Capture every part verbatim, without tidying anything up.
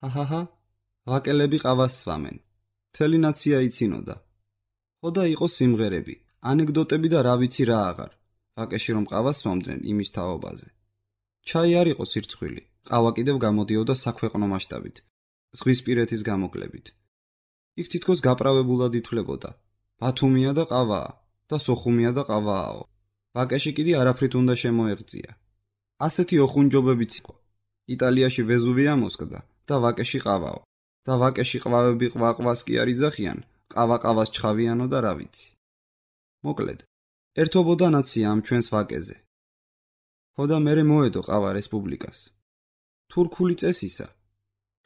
ჰაჰაჰა, ვაკელები ყავას სვამენ. მთელი ნაცია იცინოდა. ხო და იყო სიმღერები, ანეკდოტები და რა ვიცი რა აღარ. ვაკეში რომ ყავას სვამდნენ იმის თაობაზე. ჩაი არ იყო სირცხვილი, ყავა კიდევ გამოდიოდა საქვეყნო მასშტაბით, ზღვისპირეთის გამოკლებით. იქ თითქოს გაправებულად ითვლებოდა. ბათუმია და ყავაა და სოხუმია და ყავააო. ვაკეში კიდე არაფრით უნდა შემოეღწია. ასეთი ოხუნჯობებიც იყო. იტალიაში ვეზუვია მოსკდა და ვაკეში ყავაო. და ვაკეში ყვავები ყვაყვას კი არ იძახიან, ყავა ყავას ჩხავიანო და რა ვიცი. მოკლედ, ერთობოდა ნაცია ამ ჩვენს ვაკეზე. ხო და მერე მოედო ყავა რესპუბლიკას. თურქული წესისა.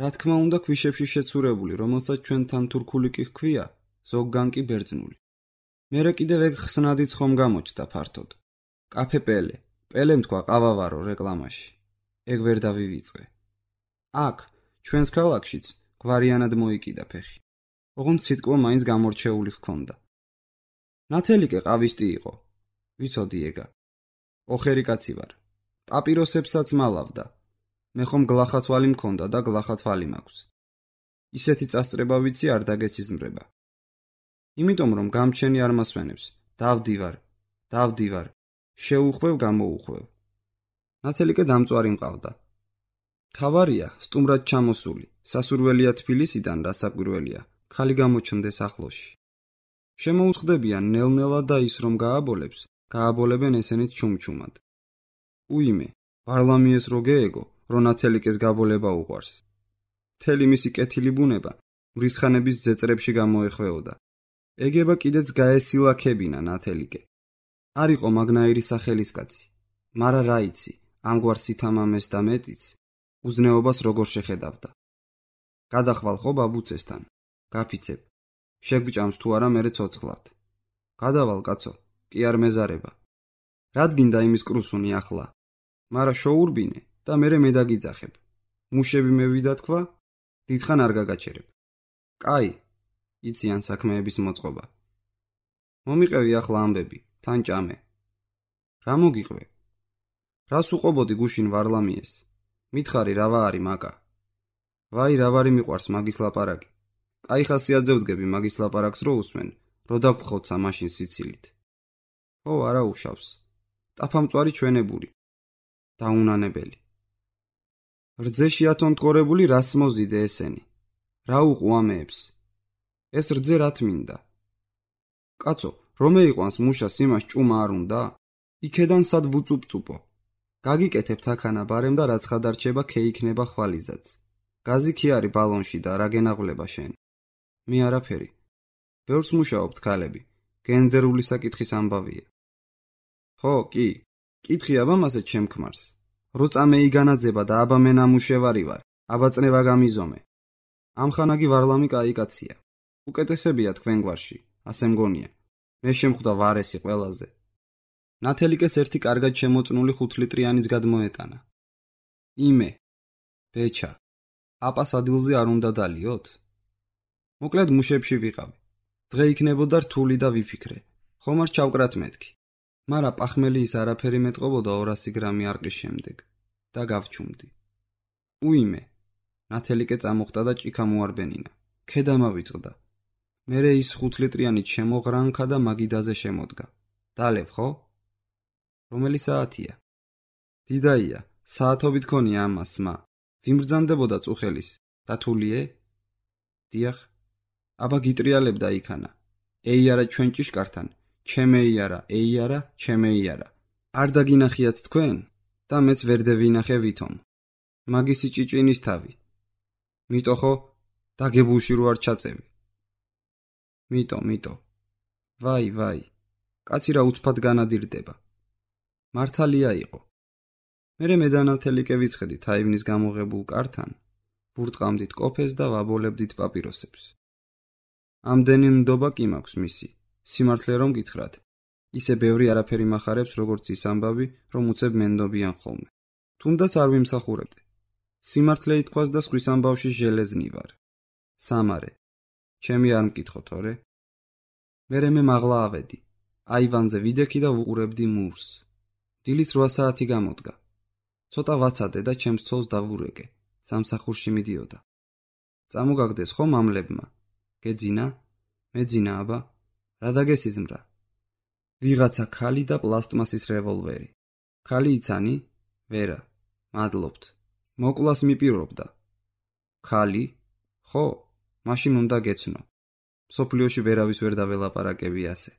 რა თქმა უნდა ქვიშებში შეცურებული, რომელსაც ჩვენთან თურქული კი ჰქვია, ზოგგან კი ბერძნული. მერე კიდევ ეგ ხსნადიც ხომ გამოჩნდა ფართოდ. კაფე პელე, პელემ თქვა ყავავარო რეკლამაში. ეგ ვერ დავივიწყე. აქ, ჩვენს ქალაქშიც, გვარიანად მოიკიდა ფეხი. ოღონდ სიტყვა მაინც გამორჩეული ჰქონდა. ნათელიკე ყავისტი იყო. ვიცოდი ეგა. ოხერი კაცი ვარ. პაპიროსებსაც მალავდა. მე ხომ გლახათვალი მქონდა და გლახათვალი მაქვს. ისეთი წასწრება ვიცი არ დაგესიზმრება. იმიტომ რომ გამჩენი არ მასვენებს, დავდივარ, დავდივარ, შეუხვევ გამოუხვევ. ნათელიკე დამწვარი მყავდა. თავარია, სტუმრად ჩამოსული, სასურველია თბილისიდან რასაკვირველია, ქალი გამოჩნდეს ახლოში. შემოუწყდებიან ნელ-ნელა და ის რომ გააბოლებს, გააბოლებენ ესენიც ჩუმჩუმად. უიმე, ვარლამიეს რო გეეგო, რომ ნათელიკეს გაბოლება უყვარს. მთელი მისი კეთილი ბუნება მრისხანების ძეწრებში გამოეხვეოდა. ეგება კიდეც გაესილაქებინა ნათელიკე. არ იყო მაგნაირი სახელისკაცი, მარა რა იცი, ამგვარ სითამამეს და მეტიც, უზნეობას როგორ შეხედავდა. გადახვალ ხო ბაბუცესთან, გაფიცებ, შეგვჭამს თუ არა მერე ცოცხლად. გადავალ კაცო, კი არ მეზარება. რად გინდა იმის კრუსუნი ახლა, მარა შოურბინე და მერე მე დაგიძახებ. მუშები მევიდა თქვა, დიდხან არ გაგაჩერებ. კაი, იციან საქმეების მოწყობა. მომიყევი ახლა ამბები, თან ჭამე. რა მოგიყვე? რას უყობოდი გუშინ ვარლამიეს? მითხარი რა ვარი მაკა. ვაი რა ვარი მიყვარს მაგის ლაპარაკი. კაი ხასიათზე ვდგები მაგის ლაპარაკს რო უსმენ, რო დაგხოცა მაშინ სიცილით. ო არა უშავს. ტაფამწვარი ჩვენებური. დაუნანებელი. რძეში ათონტგორებული რას მოზიდე ესენი? რა უყუ ამეებს? ეს რძე რა თმინდა? კაცო, რომ ეიყვანს მუშას იმას ჭუმა არ უნდა? იქედან სად ვუწუპწუპო? გაგიკეთებთ აქანა ბარემ და რაც ხადარჩება ქეიქნება ხვალიზაც. გაზი კი არის ბალონში და რა გენაღვლება შენ? მე არაფერი. ბევრს მუშაობთ ქალები. გენდერული საკითხის ამბავია. ხო, კი. კითხი აბა მასე ჩემ ქმარს. როცა მე იგანაძება და აბა მე ნამუშევარი ვარ, აბა წნევა გამიზომე. ამხანაგი ვარლამი კაი კაცია. უკეთესებია თქვენ გვარში, ასე მგონია. მე შემხვდა ვარესი ყველაზე. ნათელიკეს ერთი კარგად შემოწნული ხუთლიტრიანიც გადმოეტანა. იმე, ბეჩა, აპას ადილზე არ უნდა დალიოთ? მოკლედ მუშებში ვიყავი. დღე იქნებოდა რთული და ვიფიქრე. ხომ არ ჩავკრათ მეთქი. მარა პახმელი ის არაფერი მეტყობოდა ორასი გრამი არყის შემდეგ და გავჩუმდი. უიმე, ნათელიკე წამოხდა და ჭიქა მოარბენინა. ქედა მავიწყდა. მერე ის ხუთლიტრიანით შემოღრანქა და მაგიდაზე შემოდგა. დალევ ხო? რომელი საათია? დიდაია, საათობით ქონია ამას მა. ვიმბრძანდებოდა წუხელის. დათულიე? დიახ. აბა გიტრიალებდა იქანა. ეი არა ჩვენ ჭიშკართან, ჩემეი არა, ეი არა, ჩემეი არა. არ დაგინახიათ თქვენ? და მეც ვერ დევინახე ვითომ. მაგისი ჭიჭინის თავი. მიტო ხო? დაგებულში რო არ ჩაწევი. მიტო, მიტო. ვაი, ვაი. კაცი რა უცბად განადირდება. მართალია იყო. მერე მე და ნათელიკე ვიცხედით აივნის გამოღებულ კართან, ვურტყამდით კოფეს და ვაბოლებდით პაპიროსებს. ამდენი ნდობა კი მაქვს მისი, სიმართლე რომ გითხრათ. ისე ბევრი არაფერი მახარებს, როგორც ის ამბავი, რომ უცებ მენდობიან ხოლმე. თუნდაც არ ვიმსახურებდე. სიმართლე ითქვას და სხვის ამბავში ჟელეზნი ვარ. სამარე. ჩემი არ მკითხო თორე. მერე მე მაღლა ავედი. აივანზე ვიდექი და ვუყურებდი მურს. დილის რვა საათი გამოდგა. ცოტა ვაცადე და ჩემს ცოლს დავურეკე. სამსახურში მიდიოდა. წამოგაგდეს ხო მამლებმა? გეძინა? მეძინა აბა? რა დაგესიზმრა? ვიღაცა ქალი და პლასტმასის რევოლვერი. ქალი იცანი? ვერა. მადლობთ. მოკლას მიპირობდა. ქალი? ხო, მაშინ უნდა გეცნო. მსოფლიოში ვერავის ვერ დაველაპარაკები ასე.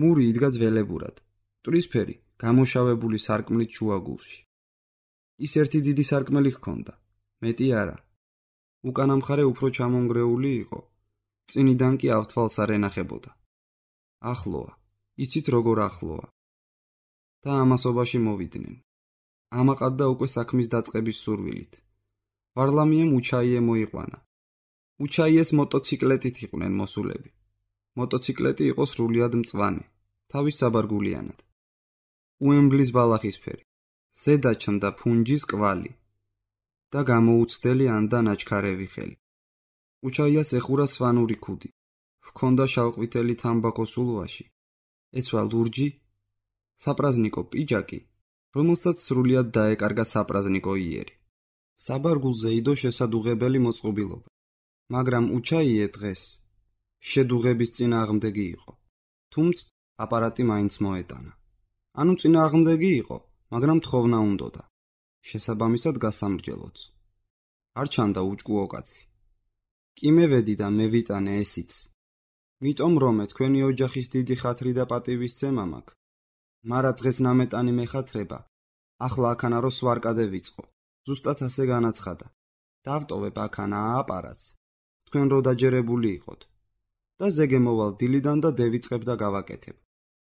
მური იდგა ძველებურად. მტვრისფერი, გამოშავებული სარკმლით შუაგულში. ის ერთი დიდი სარკმელი ჰქონდა, მეტი არა. უკანა მხარე უფრო ჩამონგრეული იყო. წინიდან კი ავთვალს არ ენახებოდა. ახლოა, იცით როგორ ახლოა. და ამასობაში მოვიდნენ. ამაყად და უკვე საქმის დაწყების სურვილით. ვარლამიემ უჩაიე მოიყვანა. უჩაიეს მოტოციკლეტით იყვნენ მოსულები. მოტოციკლეტი იყო სრულიად მწვანე, თავის საბარგულიანად. უემბლის ბალახისფერი, ზედა ჩნდა ფუნჯის კვალი და გამოუცდელი ანდა ნაჩქარევი ხელი. უჩაიას ეხურა სვანური ქუდი, ჰქონდა შავყვითელი თამბაქოს ულვაში, ეცვა ლურჯი, საპრაზნიკო პიჯაკი, რომელსაც სრულიად დაეკარგა საპრაზნიკო იერი. საბარგულზე იდო შესადუღებელი მოწყობილობა, მაგრამ უჩაიე დღეს შედუღების წინააღმდეგი იყო, თუმცა აპარატი მაინც მოეტანა. ანუ წინააღმდეგი იყო, მაგრამ თხოვნა უნდოდა. შესაბამისად გასამრჯელოც. არ ჩანდა უჭკუო კაცი. კი მევედი და მევიტანე ესიც. მიტომ რომე თქვენი ოჯახის დიდი ხათრი და პატივისცემა მაქვს. მარა დღეს ნამეტანი მეხათრება. ახლა აქანა რო სვარკადე ვიწყო. ზუსტად ასე განაცხადა. დავტოვებ აქანა აპარატს. თქვენ რო დაჯერებული იყოთ. და ზეგე მოვალ დილიდან და დევიწყებ და გავაკეთებ.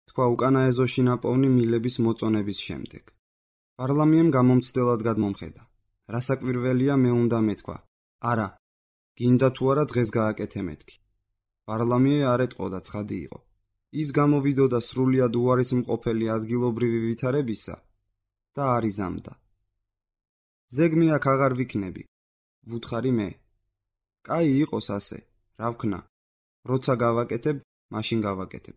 თქვა უკანა ეზოში ნაპოვნი მილების მოწონების შემდეგ. პარლამიემ გამომცდელად გადმომხედა. რასაკვირველია მე უნდა მეთქვა. არა, გინდა თუ არა დღეს გააკეთე მეთქი. პარლამიე არ ეტყოდა ცხადი იყო. ის გამოვიდოდა სრულიად უარისმყოფელი ადგილობრივი ვითარებისა და არ იზამდა. ზეგმე აქ აღარ ვიქნები, ვუთხარი მე. კაი იყოს ასე, რა ვქნა. როცა გავაკეთებ, მაშინ გავაკეთებ.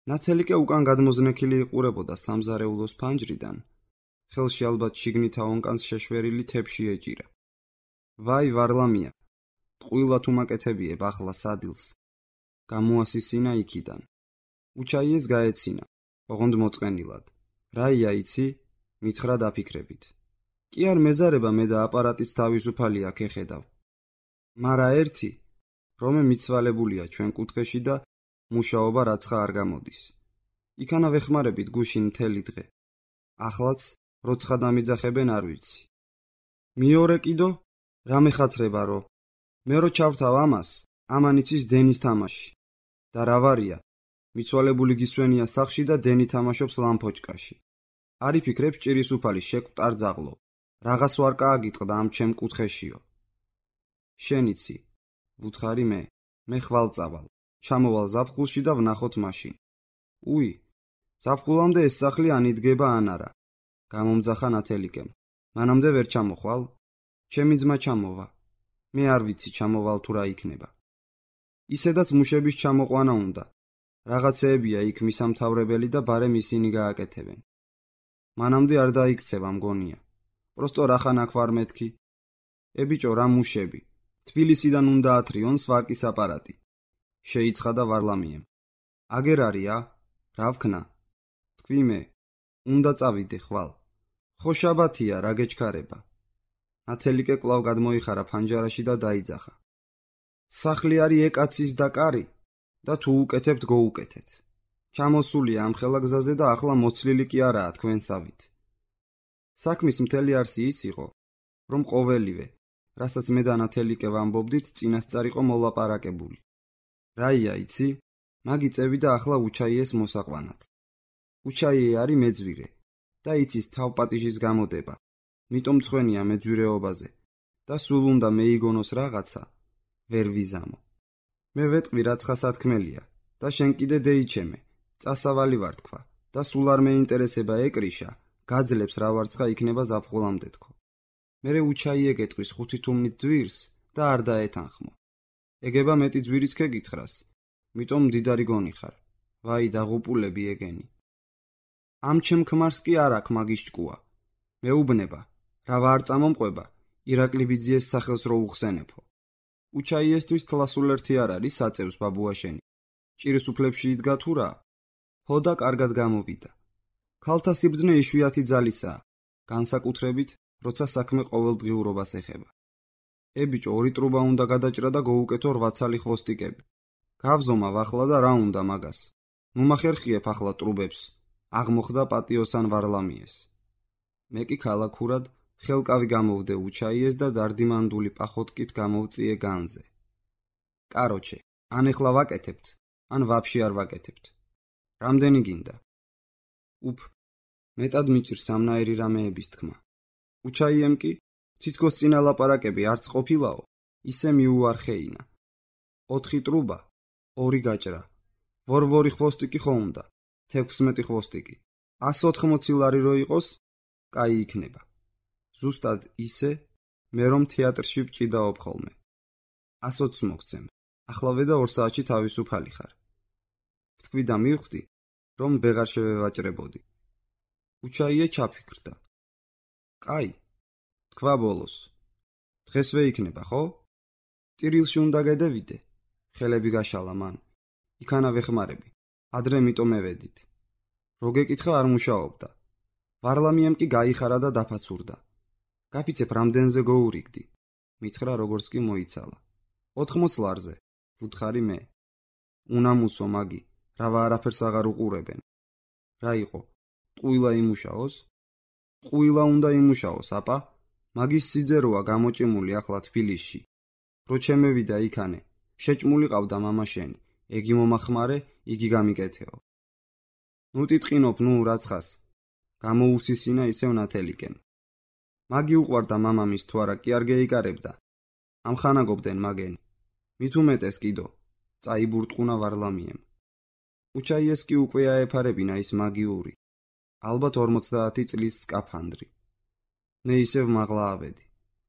ნათელიკე უკან გადმოზნექილი იყურებოდა სამზარეულოს ფანჯრიდან. ხელში ალბათ შიგნით აონკანს შეშვერილი თეფში ეჭირა. ვაი ვარლამია, ტყუილად უმაკეთებიებ ახლა სადილს. გამოასისინა იქიდან. უჩაიეს გაეცინა, ოღონდ მოწყენილად. რაია იცი? მითხრა დაფიქრებით. კი არ მეზარება მე და აპარატის თავისუფალი აქ ეხედავ. მარა ერთი, რომე მიცვალებულია ჩვენ კუთხეში და მუშაობა რაცხა არ გამოდის. იქანა ვეხმარებით გუშინ მთელი დღე. ახლაც როცხა დამიძახებენ არ ვიცი. მეორე კიდო, რა მეხათრება რო. მე რო ჩავთავ ამას, ამან იცის დენის თამაში. და რა ვარია, მიცვალებული გისვენია სახში და დენი თამაშობს ლამპოჭკაში. არ იფიქრებს ჭირის უფალი შეკვტარძაღლო. რაღაც ვარ გააგიტყდა ამ ჩემ კუთხეშიო. შენიცი, ვუთხარი მე, მე ხვალ წავალ. ჩამოვალ ზაფხულში და ვნახოთ მაშინ. უი, ზაფხულამდე ეს სახლი ანიდგება ან არა. გამომძახა ნათელიკემ. მანამდე ვერ ჩამოხვალ? ჩემი ძმა ჩამოვა. მე არ ვიცი ჩამოვალ თუ რა იქნება. ისედაც მუშების ჩამოყვანა უნდა. რაღაცეებია იქ მისამთავრებელი და ბარემ ისინი გააკეთებენ. მანამდე არ დაიქცევა მგონია. პროსტო რახან აქ ვარ მეთქი. ებიჭო რა მუშები. თბილისიდან უნდა ათრიონ სვარკის აპარატი. შეიცხადა ვარლამიემ. აგერ არია? რა ვქნა? თქვი მე. უნდა წავიდე ხვალ. ხო შაბათია, რა გეჩქარება. ნათელიკე კვლავ გადმოიხარა ფანჯარაში და დაიძახა. სახლი არის ეკაცის და კარი და თუ უკეთებთ გოუკეთეთ. ჩამოსულია ამ ხელაგზაზე და ახლა მოცლილი კი არაა თქვენსავით. საქმის მთელი არსი ის იყო, რომ ყოველივე, რასაც მე და ნათელიკე ვამბობდით, წინასწარ იყო მოლაპარაკებული. რაია იცი? მაგი წევიდა ახლა უჩაიეს მოსაყვანად. უჩაიე არის მეძვირე და იცის თავპატიჟის გამოდება. მიტომ მცხვენია მეძვირეობაზე და სულ უნდა მეიგონოს რაღაცა, ვერ ვიზამო. მე ვეტყვი რაცხა სათქმელია და შენ კიდე დეიჩემე, წასავალი ვარ თქვა და სულ არ მეინტერესება ეკრიშა, გაძლებს რა ვარცხა იქნება ზაფხულამდე თქო. მერე უჩაიე გეტყვის ხუთი თუმნით ძვირს და არ დაეთანხმო. ეგება მეტი ძვირის ქეგითხრას, მიტომ მდიდარი გონიხარ. ვაი დაღუპულები ეგენი. ამ ჩემ ქმარს კი არ აქვს მაგის ჭკუა. მეუბნება, რა ვარ წამომყვება, ირაკლი ბიძიეს სახელს რო უხსენებო. უჩაიესთვის თლასულ ერთი არ არის საწევს ბაბუაშენი. ჭირის უფლებში იდგა თუ რა? ჰოდა კარგად გამოვიდა. ქალთა სიბრძნე იშვიათი ძალისაა, განსაკუთრებით, როცა საქმე ყოველდღიურობას ეხება. ე ბიჭო, ორი ტრუბა უნდა გადაჭრა და გოუკეთო რვა ცალი ხვოსტიკები. გავზომა ვახლა და რა უნდა მაგას? ნუ მახერხიებ ახლა ტრუბებს. აღმოხდა პატიოსან ვარლამიეს. მე კი ქალაქურად ხელკავი გამოვდე უჩაიეს და დარდიმანდული პახოტკით გამოვწიე განზე. კაროჩე, ან ეხლა ვაკეთებთ, ან ვაფშე არ ვაკეთებთ. რამდენი გინდა? უფ, მეტად მიჭირს სამნაირი რამეების თქმა. უჩაიემ კი, თითქოს წინა ლაპარაკები არც ყოფილაო, ისე მიუარხეინა. ოთხი ტრუბა, ორი გაჭრა, ვორ-ვორი ხვოსტიკი ხო უნდა, თექვსმეტი ხვოსტიკი. ას ოთხმოცი ლარი რო იყოს, კაი იქნება. ზუსტად ისე, მე რომ თეატრში ვჭიდაობ ხოლმე. ასოც მოგცემ, ახლავე და ორ საათში თავისუფალი ხარ. ვთქვი და მივხვდი, რომ ვეღარ შევევაჭრებოდი. უჩაიე ჩაფიქრდა. კაი, თქვა ბოლოს. დღესვე იქნება, ხო? ტირილში უნდა გადავიდე. ხელები გაშალა მან. იქანა ვეხმარები. ადრე მიტომ ევედით. რო გეკითხა არ მუშაობდა. ვარლამიემ კი გაიხარა და დაფაცურდა. გაფიცებ რამდენზე გოურიგდი. მითხრა როგორც კი მოიცალა. ოთხმოც ლარზე, ვუთხარი მე. უნამუსო მაგი, რავა არაფერს აღარ უყურებენ. რა იყო? ტყუილა იმუშაოს? ტყუილა უნდა იმუშაოს, აპა? მაგის სიძეროა გამოჭიმული ახლა თბილისში. რო ჩემევიდა იქანე, შეჭმული ყავდა მამა შენი. ეგი მომახმარე, იგი გამიკეთეო. ნუ ტიტყინობ, ნუ რაცხას. გამოუსისინა ისევ ნათელიკენ. მაგი უყვარდა მამამის თუ არა კი არ გეიკარებდა. ამხანაგობდნენ მაგენი. მით უმეტეს კიდო, წაიბურტყუნა ვარლამიემ. უჩაიეს კი უკვე აეფარებინა ის მაგიური. ალბათ ორმოცდაათი წლის სკაფანდრი. მე ისევ მაღლა ავედი.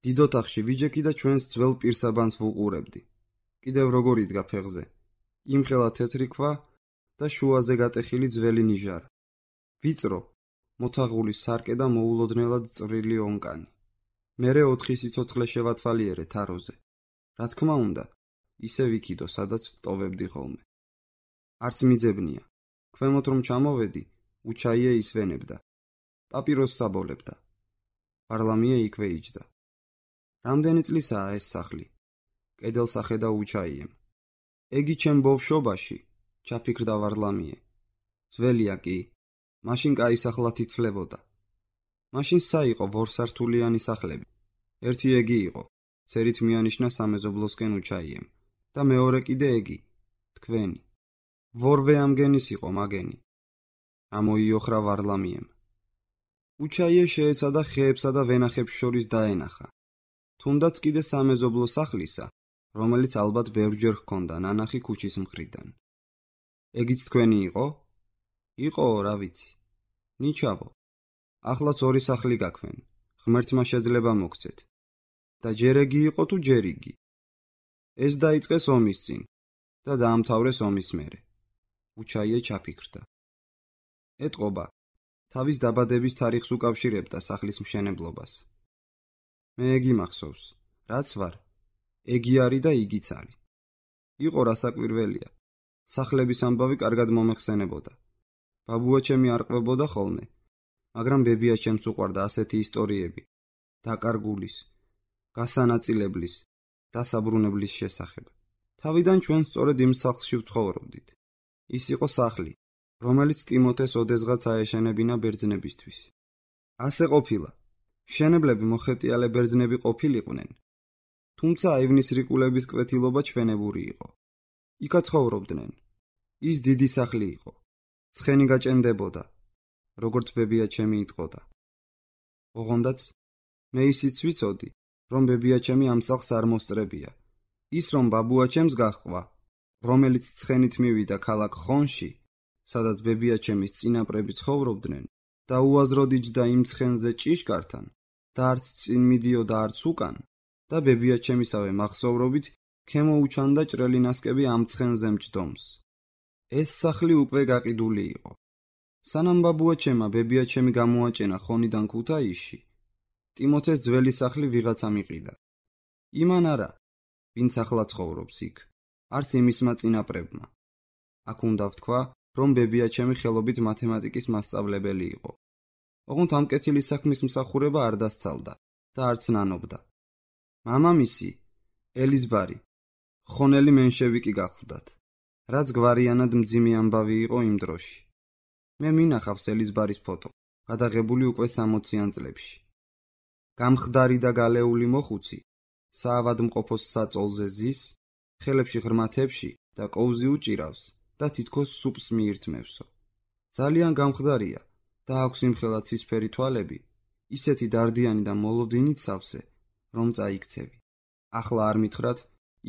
დიდ ოთახში ვიჯექი და ჩვენს ძველ პირსაბანს ვუყურებდი. კიდევ როგორ იდგა ფეხზე. იმხელა თეთრი ქვა და შუაზე გატეხილი ძველი ნიჟარა. ვიწრო, მოთაღული სარკე და მოულოდნელად წვრილი ონკანი. მერე ოთხი სიცოცხლე შევათვალიერე თაროზე. რა თქმა უნდა, ისე ვიქიდო, სადაც ვტოვებდი ხოლმე. არც მიძებნია. ქვემოთ რომ ჩამოვედი, უჩაიე ისვენებდა. პაპიროს საბოლებდა. ვარლამიე იქვე იჯდა. რამდენი წლისაა ეს სახლი? კედელს ახედა უჩაიემ. ეგი ჩემ ბავშვობაში, ჩაფიქრდა ვარლამიე. ძველია კი, მაშინ კაი სახლა თითფლებოდა. მაშინ საიყო ვორსართულიანი სახლები. ერთი ეგი იყო, ცერით მიანიშნა სამეზობლოსკენ უჩაიემ და მეორე კიდე ეგი, თქვენი. ვორვე ამგენის იყო მაგენი. ამოიოხრა ვარლამიემ. უჩაიე შეეცადა ხეებსა და ვენახებს შორის დაენახა. თუნდაც კიდე სამეზობლო სახლისა, რომელიც ალბათ ბევრჯერ ჰქონდა ნანახი ქუჩის მხრიდან. ეგიც თქვენი იყო? იყო, რა ვიცი. ნიჩავო. ახლაც ორი სახლი გაქვენ. ღმერთმა შეძლება მოგცეთ. და ჯერ ეგი იყო თუ ჯერ იგი. ეს დაიწყეს ომის წინ და დაამთავრეს ომის მერე. უჩაიე ჩაფიქრდა. ეტყობა, თავის დაბადების თარიღს უკავშირებდა სახლის მშენებლობას. მე ეგი მახსოვს, რაც ვარ, ეგი არის და იგიც არის. იყო რასაკვირველია. სახლების ამბავი კარგად მომეხსენებოდა. ბაბუაჩემი არ ყვებოდა ხოლმე, მაგრამ ბებიაჩემს უყვარდა ასეთი ისტორიები, დაკარგულის, გასანაწილებლის, დასაბრუნებლის შესახებ. თავიდან ჩვენ სწორედ იმ სახლში ვცხოვრობდით. ის იყო სახლი, რომელიც ტიმოთეს ოდესღაც აეშენებინა ბერძნებისთვის. ასე ყოფილა. მშენებლები მოხეტიალე ბერძნები ყოფილიყვნენ, თუმცა აივნის რიკულების კვეთილობა ჩვენებური იყო. იქაც ცხოვრობდნენ. ის დიდი სახლი იყო. ცხენი გაჭენდებოდა, როგორც ბებიაჩემი იტყოდა. ოღონდაც მე ისიც ვიცოდი, რომ ბებიაჩემი ამ სახლს არ მოსწრებია. ის რომ ბაბუაჩემს გაჰყვა, რომელიც ცხენით მივიდა ქალაქ ხონში, სადაც ბებიაჩემის წინაპრები ცხოვრობდნენ და უაზროდ იჯდა იმ ცხენზე ჭიშკართან და არც წინ მიდიოდა არც უკან და ბებიაჩემისავე მახსოვრობით ქემო უჩანდა ჭრელი ნასკები ამ ცხენზე მჯდომს. ეს სახლი უკვე გაყიდული იყო. სანამ ბაბუაჩემა ბებიაჩემი გამოაჭენა ხონიდან ქუთაისში, ტიმოთეს ძველი სახლი ვიღაცა მიყიდა. იმან არა, ვინც ახლა ცხოვრობს იქ, არც იმისმა წინაპრებმა. აქ უნდა ვთქვა, რომ ბებიაჩემი ხელობით მათემატიკის მასწავლებელი იყო. ოღონდ ამ კეთილის საქმის მსახურება არ დასცალდა და არც ნანობდა. მამამისი, ელიზბარი, ხონელი მენშევიკი გახლდათ, რაც გვარიანად მძიმე ამბავი იყო იმ დროში. მე მინახავს ელიზბარის ფოტო, გადაღებული უკვე სამოციან წლებში. გამხდარი და გალეული მოხუცი, საავადმყოფოს საწოლზე ზის, ხელებში ღრმათებში და კოუზი უჭირავს და თითქოს სუპს მიირთმევსო. ძალიან გამხდარია და აქვს იმხელა ცისფერი თვალები, ისეთი დარდიანი და მოლოდინით სავსე, რომ წაიქცევი. ახლა არ მითხრათ,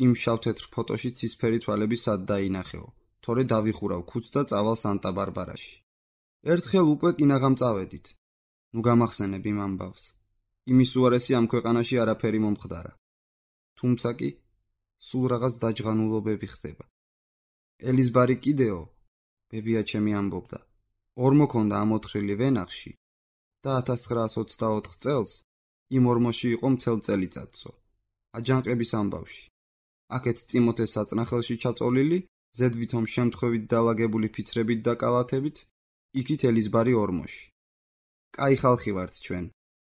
იმ შავ-თეთრ ფოტოში ცისფერი თვალები სად დაინახეო, თორე დავიხურავ ქუდს და წავალ სანტა-ბარბარაში. ერთხელ უკვე კინაღამ წავედით. ნუ გამახსენებ იმ ამბავს. იმის უარესი ამ ქვეყანაში არაფერი მომხდარა. თუმცა კი სულ რაღაც დაჯღანულობები ხდება. ელიზბარი კიდეო, ბებიაჩემი ამბობდა, ორმოქონდა ამოთხრილი ვენახში და ათას ცხრაას ოცდაოთხ წელს იმ ორმოში იყო მთელ წელიწადსო, აჯანყების ამბავში. აქეთ ტიმოთეს საწნახელში ჩაწოლილი, ზედვითომ შემთხვევით დალაგებული ფიცრებით და კალათებით, იქით ელიზბარი ორმოში. კაი ხალხი ვართ ჩვენ,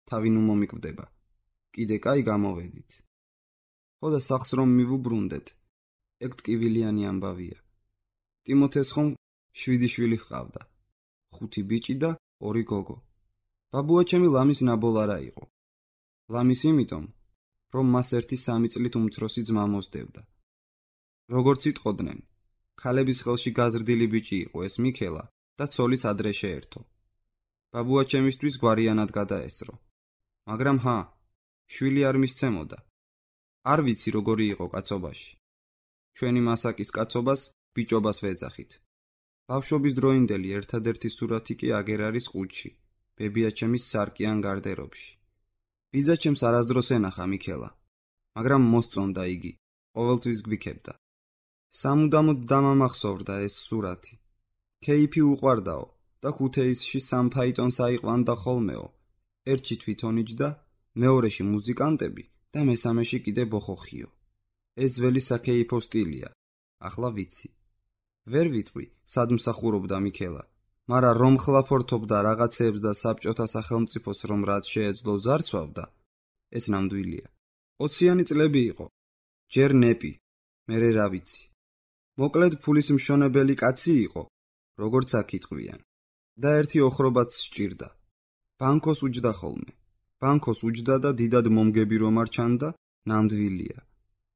თავი ნუ მომიკვდება. კიდე კაი გამოვედით. ხო და სახს რომ მივუბრუნდეთ, ეგ ტკივილიანი ამბავია. ტიმოთეს ხომ შვიდი შვილი ჰყავდა, ხუთი ბიჭი და ორი გოგო. ბაბუაჩემი ლამის ნაბოლარა იყო. ლამის იმიტომ, რომ მას ერთი სამი წლით უმცროსი ძმა მოსდევდა. როგორც იტყოდნენ, ქალების ხელში გაზრდილი ბიჭი იყო ეს მიქელა და ცოლის ადრე შეერთო. ბაბუაჩემისთვის გვარიანად გადაესწრო. მაგრამ ჰა, შვილი არ მისცემოდა. არ ვიცი როგორი იყო კაცობაში. ჩვენი მასაკის კაცობას ბიჭობას ვეძახით. ბავშვობის დროინდელი ერთადერთი სურათი კი აგერ არის ყუთში, ბებიაჩემის სარკიან გარდერობში. ბიძაჩემს არასდროს ენახა მიქელა, მაგრამ მოსწონდა იგი, ყოველთვის გვიქებდა. სამუდამოდ დამამახსოვრდა ეს სურათი. ქეიფი უყვარდაო და ქუთეისში სამ ფაიტონს აიყვანდა ხოლმეო, ერთში თვითონ იჯდა, მეორეში მუზიკანტები და მესამეში კიდე ბოხოხიო. ეს ძველი საქეიფო სტილია, ახლა ვიცი. ვერ ვიტყვი, სად მსახურობდა მიქელა, მაგრამ რომ ხლაფორთობდა რაღაცეებს და საბჭოთა სახელმწიფოს რომ რაც შეეძლო ზარცვავდა, ეს ნამდვილია. ოციანი წლები იყო, ჯერ ნეპი, მერე რა ვიცი. მოკლედ ფულის მშონებელი კაცი იყო, როგორც აქ იტყვიან. და ერთი ოხრობაც სჭირდა. ბანკოს უჯდა ხოლმე. ბანკოს უჯდა და დიდად მომგები რომ არ ჩანდა, ნამდვილია.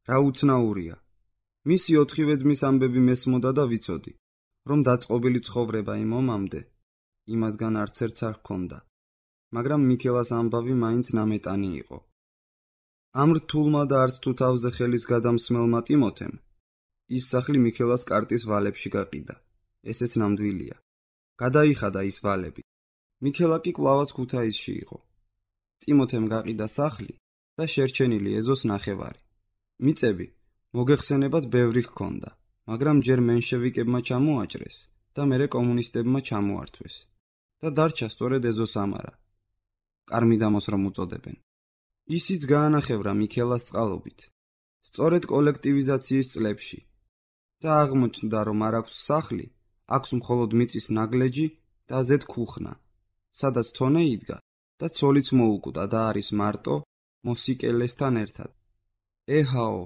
რა უცნაურია. მისი ოთხივე ძმის ამბები მესმოდა და ვიცოდი, რომ დაწყობილი ცხოვრება იმ ომამდე, იმათგან არც ერთს არ ჰქონდა. მაგრამ მიქელას ამბავი მაინც ნამეტანი იყო. ამ რთულმა და არც თუ თავზე ხელის გადამსმელმა ტიმოთემ, ის სახლი მიქელას კარტის ვალებში გაყიდა. ესეც ნამდვილია. გადაიხადა ის ვალები. მიქელა კი კვლავაც ქუთაისში იყო. ტიმოთემ გაყიდა სახლი და შერჩენილი ეზოს ნახევარი. მიწები მოგეხსენებათ ბევრი ჰქონდა, მაგრამ ჯერ მენშევიკებმა ჩამოაჭრეს და მერე კომუნისტებმა ჩამოართვეს და დარჩა სწორედ ეზოს ამარა. კარმიდამოს რომ უწოდებენ. ისიც გაანახევრა მიქელას წყალობით, სწორედ კოლექტივიზაციის წლებში და აღმოჩნდა, რომ არ აქვს სახლი, აქვს მხოლოდ მიწის ნაგლეჯი და ზედ ქუხნა, სადაც თონე იდგა და ცოლიც მოუკვდა და არის მარტო მოსიკელესთან ერთად. ეჰაო,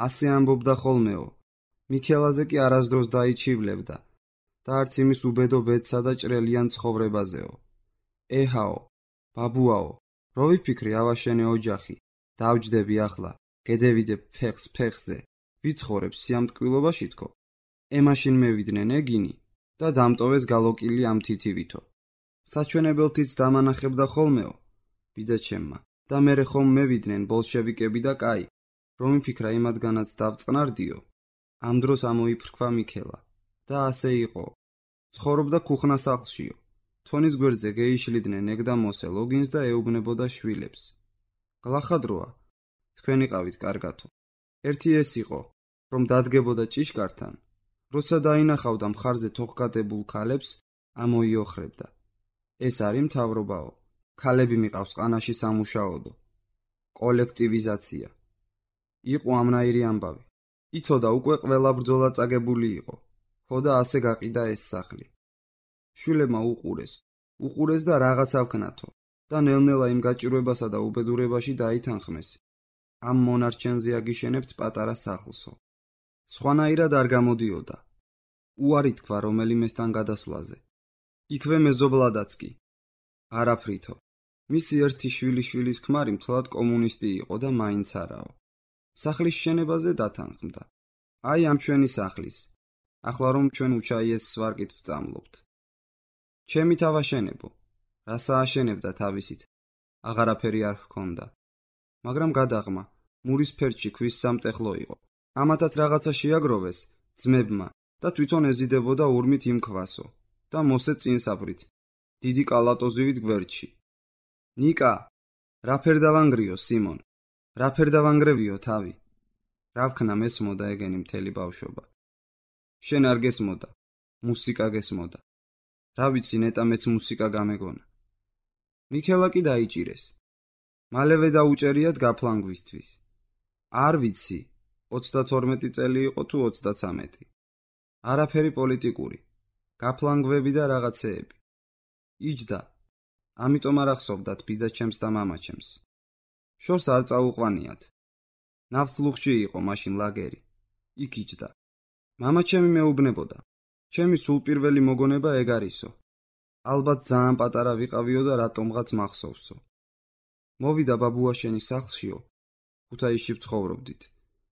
ასე ამბობდა ხოლმეო, მიქელაზე კი არასდროს დაიჩივლებდა და არც იმის უბედო ბედსა და ჭრელიან ცხოვრებაზეო. ეჰაო, ბაბუაო, რო ვიფიქრე ავაშენე ოჯახი, დავჯდები ახლა, გედევიდებ ფეხს ფეხზე, ვიცხოვრებ სიამტკბილობაში თქო. ემაშინ მევიდნენ ეგინი და დამტოვეს გალოკილი ამ თითივითო. საჩვენებელთიც დამანახებდა ხოლმეო, ბიძაჩემმა, და მერე ხომ მევიდნენ ბოლშევიკები და კაი, რომ იფიქრა იმათგანაც დავწყნარდიო, ამ დროს ამოიფრქვა მიქელა და ასე იყო. ცხოვრობდა ქუხნა სახლშიო. თონის გვერდზე გეიშლიდნენ ეგ და მოსე ლოგინს და ეუბნებოდა შვილებს. გლახადროა, თქვენ იყავით კარგათო. ერთი ეს იყო, რომ დადგებოდა ჭიშკართან, როცა დაინახავდა მხარზე თოხგადებულ ქალებს, ამოიოხრებდა. ეს არის მთავრობაო, ქალები მიყავს ყანაში სამუშაოდო. კოლექტივიზაცია. იყო ამნაირი ამბავი. იცოდა უკვე ყველა ბრძოლა წაგებული იყო. ხოდა ასე გაყიდა ეს სახლი. შვილებმა უყურეს. უყურეს და რაღაც ავქნათო და ნელ-ნელა იმ გაჭირვებასა და უბედურებაში დაითანხმეს. ამ მონარჩენზე აგიშენებთ პატარა სახლსო. სხვანაირად არ გამოდიოდა. უარი თქვა რომელიმესთან გადასვლაზე. იქვე მეზობლადაც კი. არაფრითო. მისი ერთი შვილი შვილის ქმარი მთლად კომუნისტი იყო და მაინც არაო. სახლის შენებაზე დათანხმდა. აი ამ ჩვენი სახლის. ახლა რომ ჩვენ უჩაიეს ვარკით ვწამლობთ. ჩემი თავაშენებო. რას ააშენებდა თავისით? აღარაფერი არ ჰქონდა. მაგრამ გადაღმა, მურის ფერჩი ქვის სამტეხლო იყო. ამათაც რაღაცა შეაგროვეს ძმებმა და თვითონ ეზიდებოდა ურმით იმ ქვასო და მოსე წინსაბრით, დიდი კალატოზივით გვერდში. ნიკა, რა ფერ დავანგრიო სიმონ? რა ფერ დავანგრევიო თავი? რა ვქნა მესმოდა ეგენი მთელი ბავშვობა. შენ არ გესმოდა, მუსიკა გესმოდა. რა ვიცი ნეტა მეც მუსიკა გამეგონა. მიქელა კი დაიჭირეს. მალევე დაუჭერიათ გაფლანგვისთვის. არ ვიცი, ოცდათორმეტი წელი იყო თუ ოცდათვრამეტი. არაფერი პოლიტიკური, გაფლანგვები და რაღაცეები. იჯდა, ამიტომ არ ახსოვდათ ბიძაჩემს და მამაჩემს. შორს არ წაუყვანიათ. ნავთლუხში იყო მაშინ ლაგერი. იქ იჯდა. მამაჩემი მეუბნებოდა. ჩემი სულ პირველი მოგონება ეგ არისო. ალბათ ძალიან პატარა ვიყავიო და რატომღაც მახსოვსო. მოვიდა ბაბუაშენის სახლშიო. ქუთაისში ვცხოვრობდით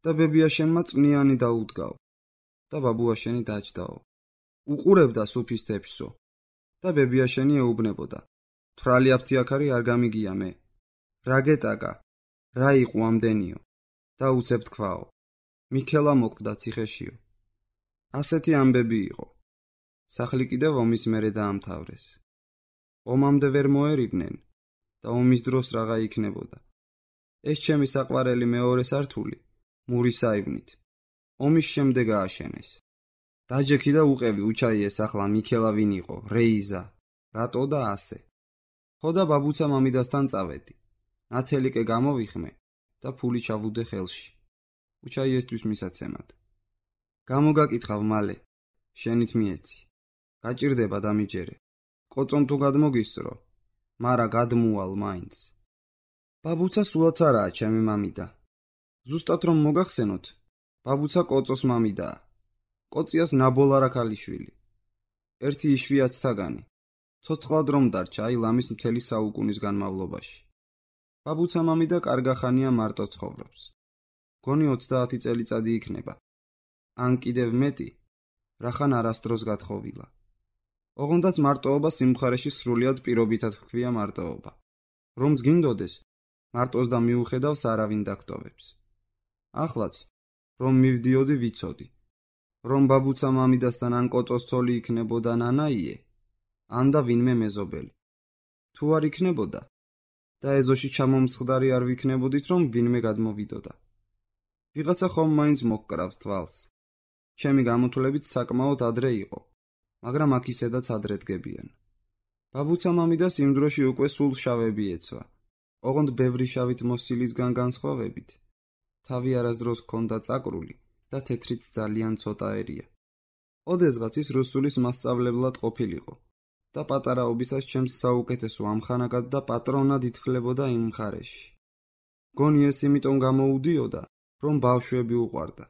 და ბებიაშენმა წვნიანი დაუდგაო და ბაბუაშენი დაჯდაო. უყურებდა სუფის თეფსო და ბებიაშენი ეუბნებოდა. თვრალი აფთიაქარი არ გამიგია მე. რა გეტაკა? რა იყო ამდენიო? და უცებ თქვაო. მიქელა მოკვდა ციხეშიო. ასეთი ამბები იყო. სახლი კიდევ ომის მერე დაამთავრეს. ომამდე ვერ მოერიბნენ და ომის დროს რაღა იქნებოდა. ეს ჩემი საყვარელი მეორე სართული მურის საიბნით. ომის შემდეგ ააშენეს. დაჯექი და უყევი უჩაიეს ახლა მიქელა ვინ იყო, რეიზა, რატო და ასე. ხოდა ბაბუცა მამიდასთან წავედი. ნათელიკე გამოვიხმე და ფული ჩავუდე ხელში. უჩაიესთვის მისაცემად. გამოგაკითხავ მალე, შენით მიეცი. გაჭირდება დამიჯერე. კოწომ თუ გადმოგისწრო, მარა გადმუვალ მაინც. ბაბუცა სულაც არაა ჩემი მამიდა. ზუსტად რომ მოგახსენოთ, ბაბუცა კოწოს მამიდაა. კოწიას ნაბოლარა ქალიშვილი. ერთი იშვიათთაგანი. ცოცხლად რომ დარჩა აი ლამის მთელი საუკუნის განმავლობაში. ბაბუცა მამიდა კარგახანია მარტო ცხოვრობს. გონი ოცდაათი წელიწადი იქნება. ან კიდევ მეტი, რახან არასდროს გათხოვილა. ოღონდაც მარტოობა სიმხარეში სრულიად პირობითად ჰქვია მარტოობა. რომც გინდოდეს, მარტოს და მიუხედავს არავინ დაგტოვებს. ახლაც, რომ მივდიოდი ვიცოდი, რომ ბაბუცა მამიდასთან ან კოწოს ცოლი იქნებოდა ნანაიე, ან და ვინმე მეზობელი. თუ არ იქნებოდა და ეზოში ჩამომსხდარი არ ვიქნებოდით, რომ ვინმე გადმოვიდოდა. ვიღაცა ხომ მაინც მოგკრავს თვალს. ჩემი გამოთვლებით საკმაოდ ადრე იყო, მაგრამ აქ ისედაც ადრე დგებიან. ბაბუცა მამიდას იმ დროში უკვე სულ შავები ეცვა. ოღონდ ბევრი შავით მოსილისგან განსხვავებით, თავი არასდროს ჰქონდა წაკრული და თეთრიც ძალიან ცოტა ერია. ოდესღაც ის რუსულის მასწავლებლად ყოფილიყო და პატარაობისას ჩემს საუკეთესო ამხანაგად და პატრონად ითვლებოდა იმ მხარეში. გონი ეს იმიტომ გამოუდიოდა, რომ ბავშვები უყვარდა.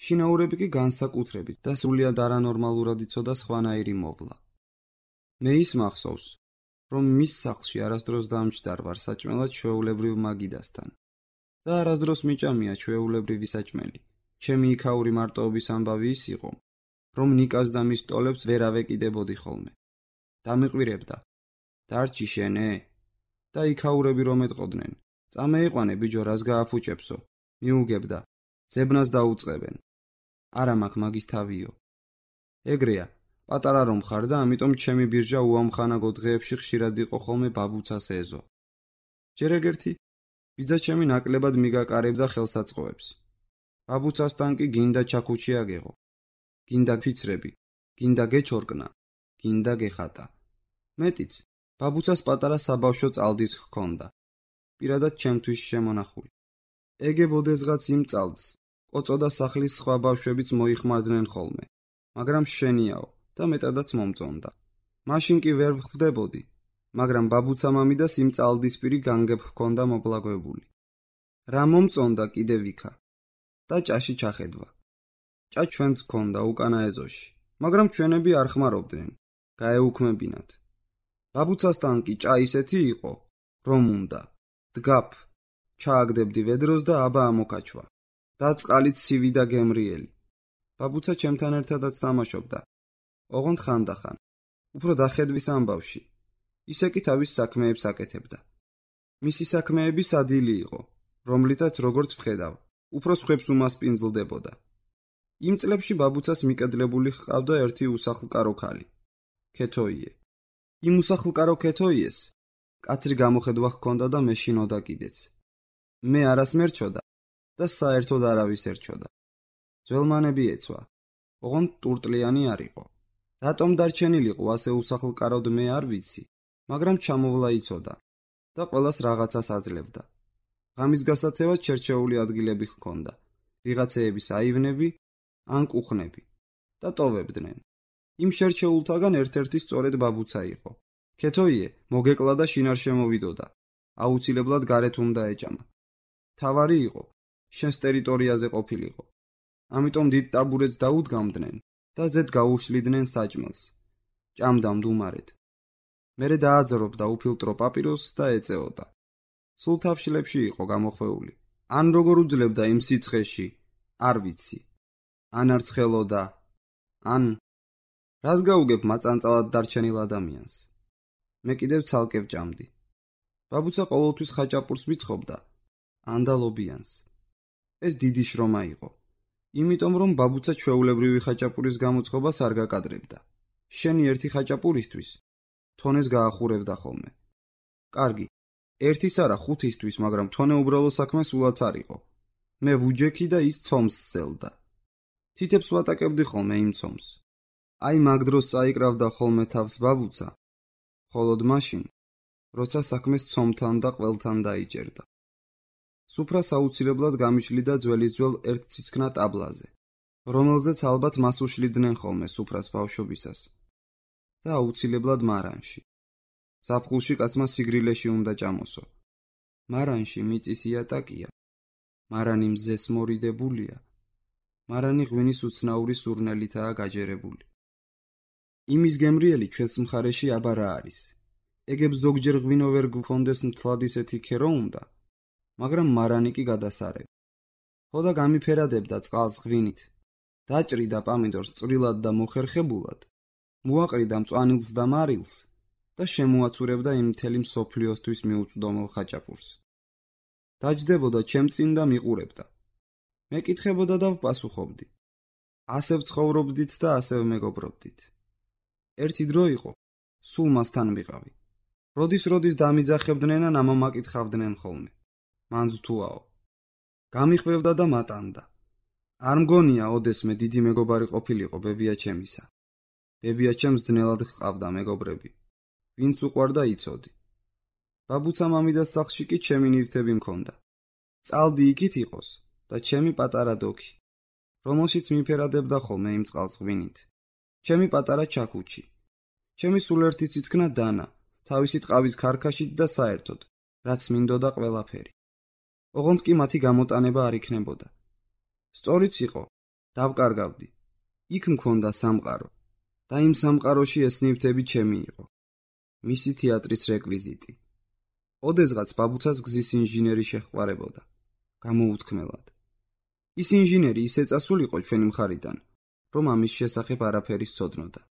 შინაურები კი განსაკუთრებით და სრულიად არანორმალურად იცოდა სხვანაირი მოვლა. მე ის მახსოვს, რომ მის სახლში არასდროს დამჯდარ ვარ საჭმელად ჩვეულებრივ მაგიდასთან და არასდროს მიჭამია ჩვეულებრივი საჭმელი. ჩემი იქაური მარტოობის ამბავი ის იყო, რომ ნიკას და მის ტოლებს ვერ ავეკიდებოდი ხოლმე. დამიყვირებდა. დარჩი შენე? და იქაურები რომ ეტყოდნენ. წამეიყვანე ბიჯო, რას გააფუჭებსო? მიუგებდა. ძებნას დაუწყებენ. არა მაქვს მაგის თავიო. ეგრეა, პატარა რომ ხარ და ამიტომ ჩემი ბირჟა უამხანაგო დღეებში ხშირად იყო ხოლმე ბაბუცას ეზო. ჯერ ეგერთი, ბიძაჩემი ნაკლებად მიგაკარებდა ხელსაწყოებს. ბაბუცასთან კი გინდა ჩაქუჩი აგეღო. გინდა ფიცრები, გინდა გეჩორკნა, გინდა გეხატა. მეტიც, ბაბუცას პატარა საბავშვო წალდიც ჰქონდა. პირადად ჩემთვის შემონახული. ეგებოდესღაც იმ წალს, კოწო და სახლის სხვა ბავშვებიც მოიხმარდნენ ხოლმე, მაგრამ შენიაო და მეტადაც მომწონდა. მაშინ კი ვერ ვხვდებოდი, მაგრამ ბაბუცა მამიდას იმ წალდისპირი განგებ ჰქონდა მობლაგვებული. რა მომწონდა კიდევ იქა და ჭაში ჩახედვა. ჭა ჩვენც ჰქონდა უკანა ეზოში, მაგრამ ჩვენები არ ხმარობდნენ, გაეუქმებინათ. ბაბუცასთან კი ჭა ისეთი იყო, რომ უნდა დგაფ, ჩააგდებდი ვედროს და აბა ამოკაჩვა და წყალით ცივი და გემრიელი. ბაბუცა ჩემთან ერთადაც თამაშობდა, ოღონდ ხანდახან, უფრო დახედვის ამბავში. ისე კი თავის საქმეებს აკეთებდა. მისი საქმეები სადილი იყო, რომლითაც როგორც ვხედავ, უფრო სხვებს უმასპინძლდებოდა. იმ წლებში ბაბუცას მიკედლებული ჰყავდა ერთი უსახლკარო ქალი, ქეთოიე. იმ უსახლკარო ქეთოიეს კაცრი გამოხედვა ჰქონდა და მეშინოდა კიდეც. მე არას მერჩოდა და საერთოდ არავის ერჩოდა. ძველმანები ეცვა, ოღონდ ტურტლიანი არ იყო. რატომ დარჩენილიყო ასე უსახლკაროდ მე არ ვიცი, მაგრამ ჩამოვლა იცოდა და ყველას რაღაცას აძლევდა. ღამის გასათევად შერჩეული ადგილები ჰქონდა, ვიღაცეების აივნები ან კუხნები და ტოვებდნენ. იმ შერჩეულთაგან ერთ-ერთი სწორედ ბაბუცა იყო. ქეთოიე მოგეკლა და შინარ შემოვიდოდა, აუცილებლად გარეთ უნდა ეჭამა. თავარი იყო, შენს ტერიტორიაზე ყოფილიყო. ამიტომ დიდ ტაბურეთს დაუდგამდნენ და ზედ გაუშლიდნენ საჭმელს. ჭამდა მდუმარედ. მერე დააძრობდა უფილტრო პაპიროსს და ეწეოდა. სულ თავშილებში იყო გამოხვეული. ან როგორ უძლებდა იმ სიცხეში, არ ვიცი. ან არ ცხელოდა, ან რას გაუგებ მაწანწალად დარჩენილ ადამიანს. მე კიდევ ცალკე ვჭამდი. ბაბუცა ყოველთვის ხაჭაპურს მიცხობდა, ანდალობიანს. ეს დიდი შრომა იყო. იმიტომ რომ ბაბუცა ჩვეულებრივი ხაჭაპურის გამოწყობას არ გაკადრებდა. შენი ერთი ხაჭაპურისთვის თონეს გაახურებდა ხოლმე. კარგი, ერთის არა ხუთისთვის, მაგრამ თონე უბრალო საქმე სულაც არ იყო. მე ვუჯექი და ის ცომს სელდა. თითებს ვატაკებდი ხოლმე იმ ცომს. აი მაგ დროს წაიკრავდა ხოლმე თავს ბაბუცა, ხოლოდ მაშინ, როცა საქმეს ცომთან და ყველთან დაიჭერდა. სუფრას აუცილებლად გამიშლიდა ძველის ძველ ერთ ციცქნა ტაბლაზე, რომელზეც ალბათ მას უშლიდნენ ხოლმე სუფრას ბავშვობისას და აუცილებლად მარანში. ზაფხულში კაცმა სიგრილეში უნდა ჭამოსო. მარანში მიწის იატაკია, მარანი მზეს მორიდებულია, მარანი ღვინის უცნაური სურნელითაა გაჯერებული. იმის გემრიელი ჩვენს მხარეში აბა რა არის. ეგებს ზოგჯერ ღვინო ვერ გქონდეს მთლად ისეთი ქერო უნდა, მაგრამ მარანი კი გადასარევ. ხოდა გამიფერადებდა წყალს ღვინით, დაჭრიდა პამიდორს წვრილად და მოხერხებულად, მოაყრიდა მწვანილს და მარილს და შემოაცურებდა იმ მთელი მსოფლიოსთვის მიუწვდომელ ხაჭაპურს. დაჯდებოდა ჩემ წინ და მიყურებდა. მეკითხებოდა და ვპასუხობდი. ასე ვცხოვრობდით და ასე ვმეგობრობდით. ერთი დრო იყო, სულ მასთან ვიყავი. როდის-როდის დამიძახებდნენ ან ამომაკითხავდნენ ხოლმე. მან თუაო. გამიხვევდა და მატანდა. არ მგონია ოდესმე დიდი მეგობარი ყოფილიყო ბებია ჩემისა. ბებია ჩემს ძნელად ჰყავდა მეგობრები, ვინც უყვარდა იცოდი. ბაბუცა მამიდას სახლში კი ჩემი ნივთები მქონდა. წალდი იქით იყოს და ჩემი პატარა დოქი, რომელშიც მიფერადებდა ხოლმე იმ წყალს ღვინით. ჩემი პატარა ჩაკუჩი, ჩემი სულ ერთი ციცქნა დანა, თავისი ტყავის ქარქაშით და საერთოდ, რაც მინდოდა ყველაფერი. ოღონდ კი მათი გამოტანება არ იქნებოდა. სწორიც იყო, დავკარგავდი. იქ მქონდა სამყარო და იმ სამყაროში ეს ნივთები ჩემი იყო. მისი თეატრის რეკვიზიტი. ოდესღაც ბაბუცას გზის ინჟინერი შეჰყარებოდა, გამოუთქმელად. ის ინჟინერი ისე წასულიყო ჩვენი მხარიდან, რომ ამის შესახებ არაფერი სცოდნოდა.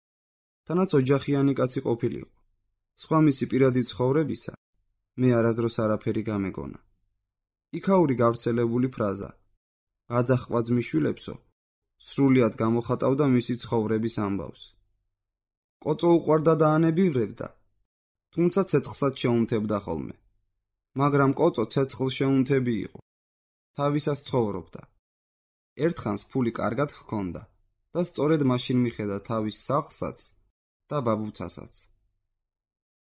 თანაც ოჯახიანი კაცი ყოფილიყო. სხვა მისი პირადი ცხოვრებისა მე არასდროს არაფერი გამეგონა. იქაური გავრცელებული ფრაზა გადახვაც მიშვილებსო სრულიად გამოხატავდა მისი ცხოვრების ამბავს. კოწო უყვარდა და ანებივრებდა, თუმცა ცეცხლსაც შეუნთებდა ხოლმე. მაგრამ კოწო ცეცხლ შეუნთები იყო. თავისას ცხოვრობდა. ერთხანს ფული კარგად ჰქონდა და სწორედ მაშინ მიხედა თავის სახლსაც და ბაბუცასაც.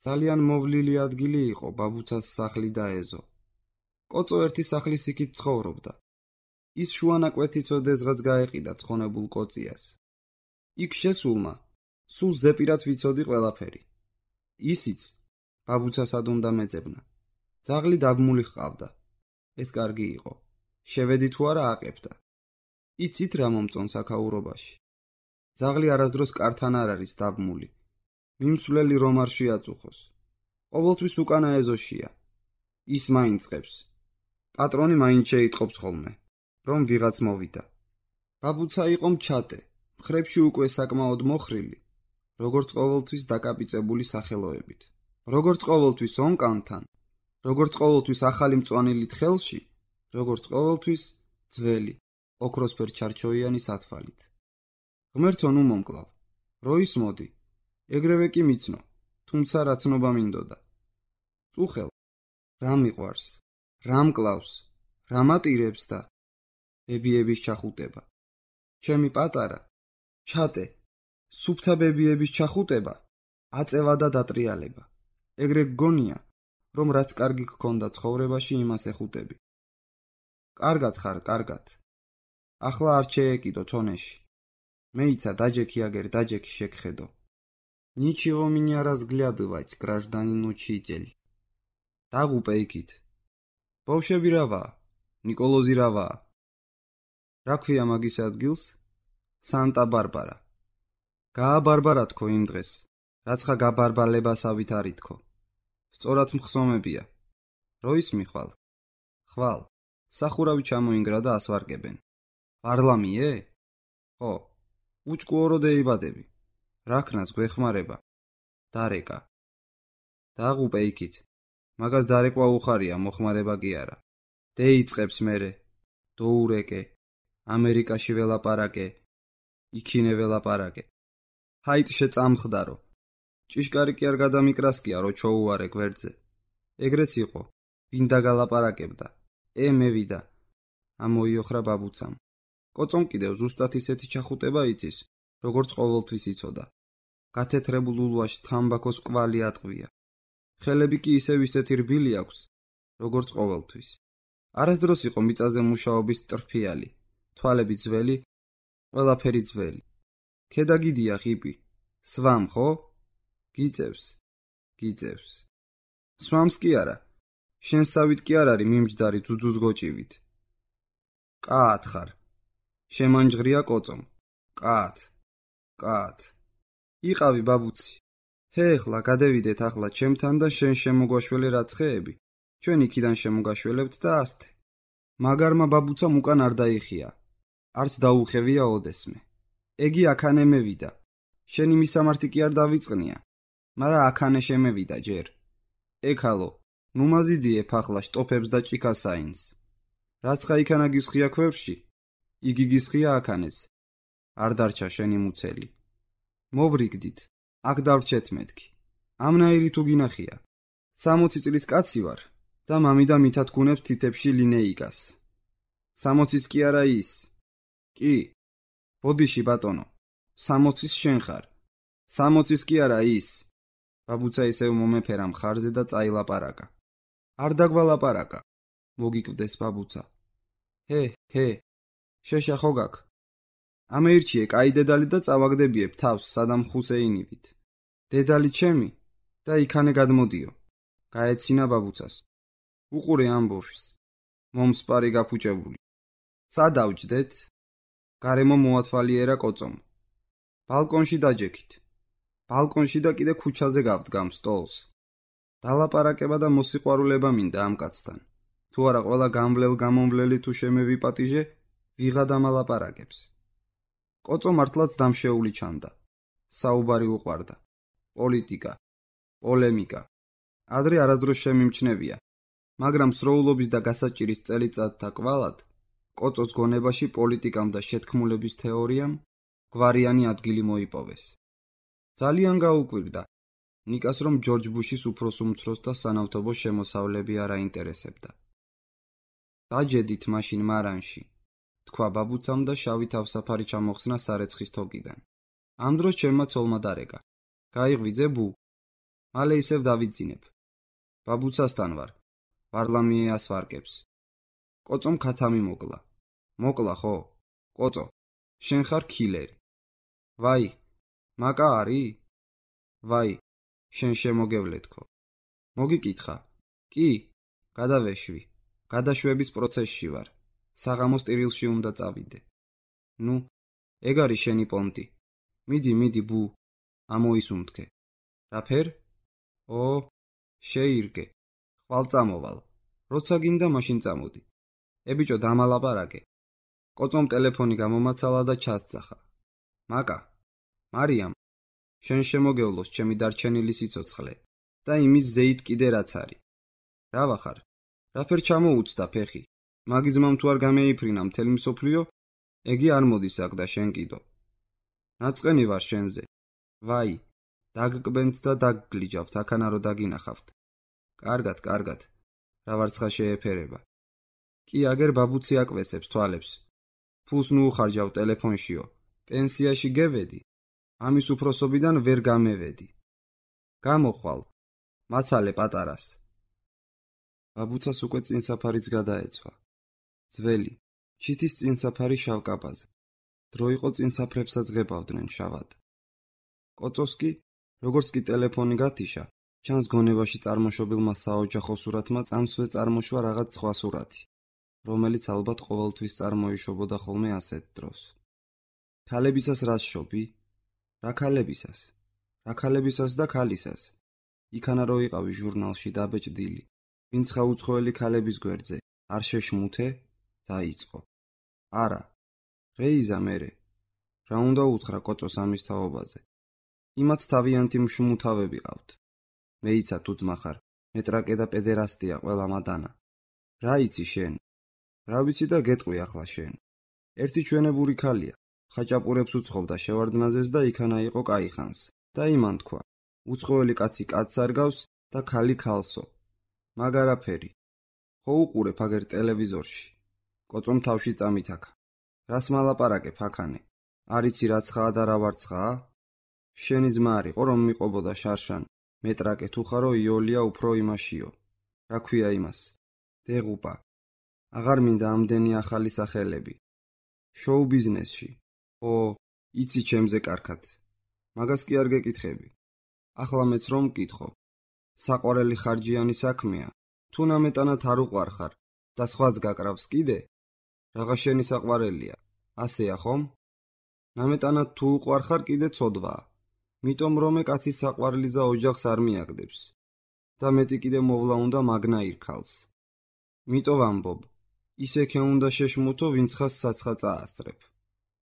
ძალიან მოვლილი ადგილი იყო ბაბუცას სახლი და ეზო. კოწო ერთი სახლის იქით ცხოვრობდა. ის შუანაკვეთით ოდესღაც გაეყიდა ცხონებულ კოწიას. იქ შესულმა სულ ზეპირად ვიცოდი ყველაფერი. ისიც ბაბუცასად უნდა მეძებნა. ძაღლი დაბმული ჰყავდა. ეს კარგი იყო. შევედი თუ არა აყებდა. იცით რა მომწონს აქაურობაში. ძაღლი არასდროს კართან არ არის დაბმული. მიმსვლელი რომ არ შეაწუხოს. ყოველთვის უკანა ეზოშია. ის მაინც წებს. პატრონი მაინც შეიტყობს ხოლმე, რომ ვიღაც მოვიდა. ბაბუცა იყო მჩატე, მხრებში უკვე საკმაოდ მოხრილი, როგორც ყოველთვის დაკაპიწებული სახელოებით. როგორც ყოველთვის ონკანთან, როგორც ყოველთვის ახალი მწვანილით ხელში, როგორც ყოველთვის ძველი, ოქროსფერ ჩარჩოიანი სათვალით. ღმერთო ნუ მომკლავ, როის მოდი, ეგრევე კი მიცნო, თუმცა რა ცნობა მინდოდა. წუხელ, რა მიყვარს, რა მკლავს, რა მატირებს და ბებიების ჩახუტება. ჩემი პატარა, ჩატე, სუფთა ბებიების ჩახუტება, აწევა და დატრიალება. ეგრე გგონია, რომ რაც კარგი გქონდა ცხოვრებაში, იმას ეხუტები. კარგად ხარ, კარგად. ახლა არ შეეკიდო თონეში. მეიცა დაჯექი აგერ დაჯექი შეგხედო. Ничего меня разглядывать, гражданин учитель. დაღუპე იქით. ბავშვები რავა? ნიკოლოზი რავა? რა ქვია მაგის ადგილს? სანტა-ბარბარა. გააბარბარა თქო იმ დღეს, რაცხა გაბარბალებასავით არ ითქო. სწორად მხსომებია. როის მიხვალ? ხვალ. სახურავი ჩამოინგრა და ასვარგებენ. პარლამიე? ხო. უჭკუორო დაიბადები. რაქნას გვეხმარება. დარეკა. დაღუპე იქით. მაგას დარეკვა უხარია, მოხმარება კი არა. დეიწყებს მერე. დოურეკე. ამერიკაში ველაპარაკე. იქინე ველაპარაკე. ჰაით შეწამხდარო. ჭიშკარი კი არ გადამიკრასკია, რო ჩოუარე გვერდზე. ეგრეც იყო. ვინ დაგალაპარაკებდა. ე მევიდა. ამოიოხრა ბაბუცამ. კოწომ კიდევ ზუსტად ისეთი ჩახუტება იცის, როგორც ყოველთვის იცოდა. გათეთრებულ ულვაში თამბაქოს კვალი ატყვია. ხელები კი ისევ ისეთი რბილი აქვს, როგორც ყოველთვის. არასდროს იყო მიწაზე მუშაობის ტრფიალი, თვალები ძველი, ყველაფერი ძველი. ქედა გიდია ხიპი. სვამ ხო? გიწევს, გიწევს. სვამს კი არა. შენსავით კი არ არის მიმჯდარი ძუძუს გოჭივით. კაათ ხარ. შემანჯღრია კოწომ. კაათ. კაათ. იყავი ბაბუცი. ჰეხლა გადევიდეთ ახლა ჩემთან და შენ შემოგვაშველე რაცხეები. ჩვენ იქიდან შემოგაშველებთ და ასთე. მაგარმა ბაბუცამ უკან არ დაიხია. არც დაუხევია ოდესმე. ეგი აქანე მევიდა. შენი მისამართი კი არ დავიწყნია. მარა აქანე შემევიდა ჯერ. ეკალო, ნუ მაზიდიებ ახლა შტოფებს და ჭიქასაინს. რაცხა იქანა გისხია ქვევში, იგი გისხია აქანეს. არ დარჩა შენი მუცელი. მოვრიგდით, აქ დავრჩეთ მეთქი. ამნაირი თუ გინახია. სამოცი წლის კაცი ვარ და მამიდა მითათქუნებს თითებში ლინეიკას. სამოცის კი არა ის. კი. ბოდიში ბატონო. სამოცის შენ ხარ. სამოცის კი არა ის. ბაბუცა ისევ მომეფერა მხარზე და წაილაპარაკა. არ დაგვალაპარაკა. მოგიკვდეს ბაბუცა. ჰე, ჰე. შეშა ხო გაქ? ამეირჩიე კაი დედალი და წავაგდებიებ თავს სადამ ხუსეინივით. დედალი ჩემი და იქანე გადმოდიო. გაეცინა ბაბუცას. უყურე ამბობს. მომსპარი გაფუჭებული. სადავჯდეთ? გარემო მოათვალიერა კოწომ. ბალკონში დაჯექით. ბალკონში და კიდე ქუჩაზე გავდგამ სტოლს. დალაპარაკება და მოსიყვარულება მინდა ამ კაცთან. თუ არა ყველა გამვლელ გამომვლელი თუ შემევიპატიჟე, ვიღა დამალაპარაკებს. კოწო მართლაც დამშეული ჩანდა. საუბარი უყვარდა. პოლიტიკა, პოლემიკა. ადრე არასდროს შემიმჩნევია, მაგრამ სროულობის და გასაჭირის წელიწადთა კვალად, კოწოს გონებაში პოლიტიკამ და შეთქმულების თეორიამ გვარიანი ადგილი მოიპოვეს. ძალიან გაუკვირდა ნიკას, რომ ჯორჯ ბუშის უფროს უმცროს და სანავთობო შემოსავლები არ აინტერესებდა. დაჯედით მაშინ მარანში, თქვა ბაბუცამ და შავი თავსაფარი ჩამოხსნა სარეცხის თოკიდან. ამ დროს ჩემმა ცოლმა დარეკა. გაიღვიძე ბუ. მალე ისევ დავიძინებ. ბაბუცასთან ვარ. ვარლამიე ასვარკებს. კოწომ ქათამი მოკლა. მოკლა ხო? კოწო, შენ ხარ ქილერი. ვაი, მაკა არის? ვაი, შენ შემოგევლეთქო. მოგიკითხა. კი, გადავეშვი. გადაშვების პროცესში ვარ. საღამოს ტირილში უნდა წავიდე. ნუ, ეგ არის შენი პონტი. მიდი, მიდი, ბუ. ამოისუნთქე. რა ფერ? ო, შეირგე. ხვალ წამოვალ. როცა გინდა მაშინ წამოდი. ე ბიჭო, დამალაპარაკე. კოწომ ტელეფონი გამომაცალა და ჩასძახა. მაკა, მარიამ, შენ შემოგევლოს ჩემი დარჩენილი სიცოცხლე და იმის ზეით კიდე რაც არის. რა ვახარ? რაფერ ჩამოუცდა ფეხი? მაგის ძმამ თუ არ გამეიფრინა მთელი მსოფლიო, ეგი არ მოდის აქ და შენ კიდო. ნაწყენი ვარ შენზე. ვაი, დაგკბენთ და დაგგლიჯავთ, აქანა რო დაგინახავთ. კარგად, კარგად. რა ვარცხა შეეფერება. კი, აგერ ბაბუცი აკვესებს თვალებს. ფულს ნუ უხარჯავ ტელეფონშიო. პენსიაში გევედი. ამის უფროსობიდან ვერ გამევედი. გამოხვალ. მაცალე პატარას. ბაბუცას უკვე წინსაფარიც გადაეცვა. ძველი, ჩითის წინსაფარი შავკაპაზე. დრო იყო წინსაფრებსაც ღებავდნენ შავად. კოწოს კი, როგორც კი ტელეფონი გათიშა, ჩანს გონებაში წარმოშობილმა საოჯახო სურათმა წამსვე წარმოშვა რაღაც სხვა სურათი, რომელიც ალბათ ყოველთვის წარმოიშობოდა ხოლმე ასეთ დროს. ქალებისას რას შობი? რა ქალებისას? რა ქალებისას და ქალისას? იქანა რო იყავი ჟურნალში დაბეჭდილი, ვინც ხაუცხოველი ქალების გვერდზე არ შეშმუთე? დაიწყო. არა, რეიზა მერე. რა უნდა უთხრა კოწოს ამის თაობაზე? იმათ თავიანთი მშმუთავები ყავთ. მეიცა თუ ძმა ხარ, მეტრაკე და პედერასტია ყველა მადანა. რა იცი შენ? რა ვიცი და გეტყვი ახლა შენ. ერთი ჩვენებური ქალია, ხაჭაპურებს უცხობდა შევარდნაძეს და იქანა იყო კაიხანს. და იმან თქვა, უცხოელი კაცი კაცს არ გავს და ქალი ქალსო. მაგარაფერი. ხო უყურებ აგერ ტელევიზორში. კოწომ თავში წამითაქა. რას მალაპარაკებ აქანე? არიცი რა ცხაა და რა ვარ ცხაა? შენი ძმა არისო რომ მიყვებოდა შარშან, მეტრაკე თუ ხარო იოლია უფრო იმაშიო. რა ქვია იმას? დეღუპა. აღარ მინდა ამდენი ახალი სახელები. შოუ ბიზნესში. ო, იცი ჩემზე კარგად. მაგას კი არ გეკითხები. ახლა მეც რომ მკითხო. საყვარელი ხარჯიანი საქმეა. თუ ნამეტანად არ უყვარ ხარ და სხვაც გაკრავს კიდე? რაღა შენი საყვარელია. ასეა ხომ? ნამეტანად თუ უყვარ ხარ კიდე ცოდვაა. მიტომ რომე კაცის საყვარლიზა ოჯახს არ მიაგდებს. და მეტი კიდე მოვლა უნდა მაგნაირ ქალს. მიტო ვამბობ, ისექე უნდა შეშმუთო, ვინც ხას საცხა წაასწრებ.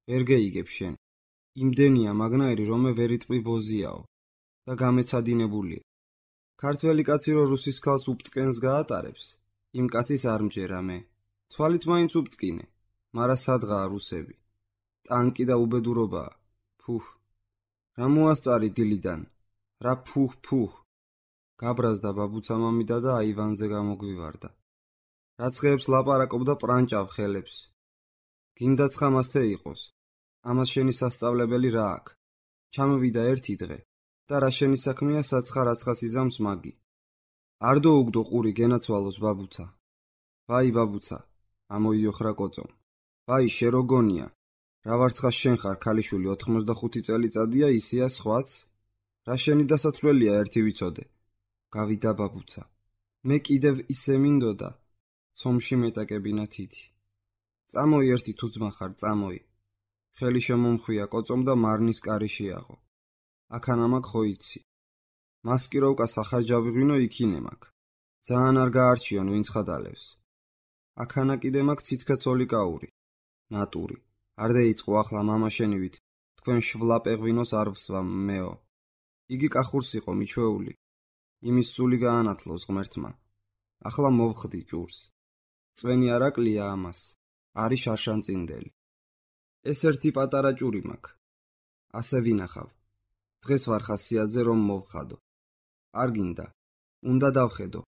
ვერ გეიგებ შენ. იმდენია მაგნაირი, რომე ვერიტყვი ბოზიაო და გამეცადინებულია. ქართველი კაცი რო რუსის ქალს უბწყენს გაატარებს, იმ კაცის არ მჯერა მე. თვალით მაინც უბწყინე, მარა სადღაა რუსები. ტანკი და უბედურობაა. ფუჰ. რა მოასწარი დილიდან? რა ფუჰ ფუჰ. გაბრაზდა ბაბუცა მამიდა და აივანზე გამოგვივარდა. რაცხეებს ლაპარაკობდა პრანჭავ ხელებს. გინდა ცხამასთე იყოს. ამას შენი სასწავლებელი რა აქვს? ჩამოვიდა ერთი დღე და რა შენი საქმეა საცხა რაცხას იზამს მაგი. არ დაუგდო ყური გენაცვალოს ბაბუცა. ვაი ბაბუცა, ამოიოხრა კოწომ. ვაი შეროგონია. რა ვარცხა შენ ხარ ქალიშვილი ოთხმოცდახუთი წელიწადია ისია სხვაც? რა შენი დასაცვლელია ერთი ვიცოდე. გავიდა ბაბუცა. მე კიდევ ისე მინდოდა. ცომში მეტაკებინა თითი. წამოი ერთი თუ ძმა ხარ, წამოი. ხელი შემომხვია კოწომ და მარნის კარი შეაღო. აქანა მაგ ხო იცი. მასკიროვკა სახარჯავი ღვინო იქინე მაგ. ძალიან არ გაარჩიონ ვინც ხადალევს. აქანა კიდე მაგ ციცქაცოლი კაური. ნატური. არ დაიწყო ახლა მამა შენივით. თქვენ შვლაპე ღვინოს არ ვსვამ მეო. იგი კახურს იყო მიჩვეული. იმის სული გაანათლოს ღმერთმა. ახლა მოვხდი ჭურს. წვენი არაკლია ამას. არის შარშანწინდელი. ეს ერთი პატარა ჭური მაქვს. ასე ვინახავ. დღეს ვარ ხასიათზე რომ მოვხადო. არ გინდა. უნდა დავხედო.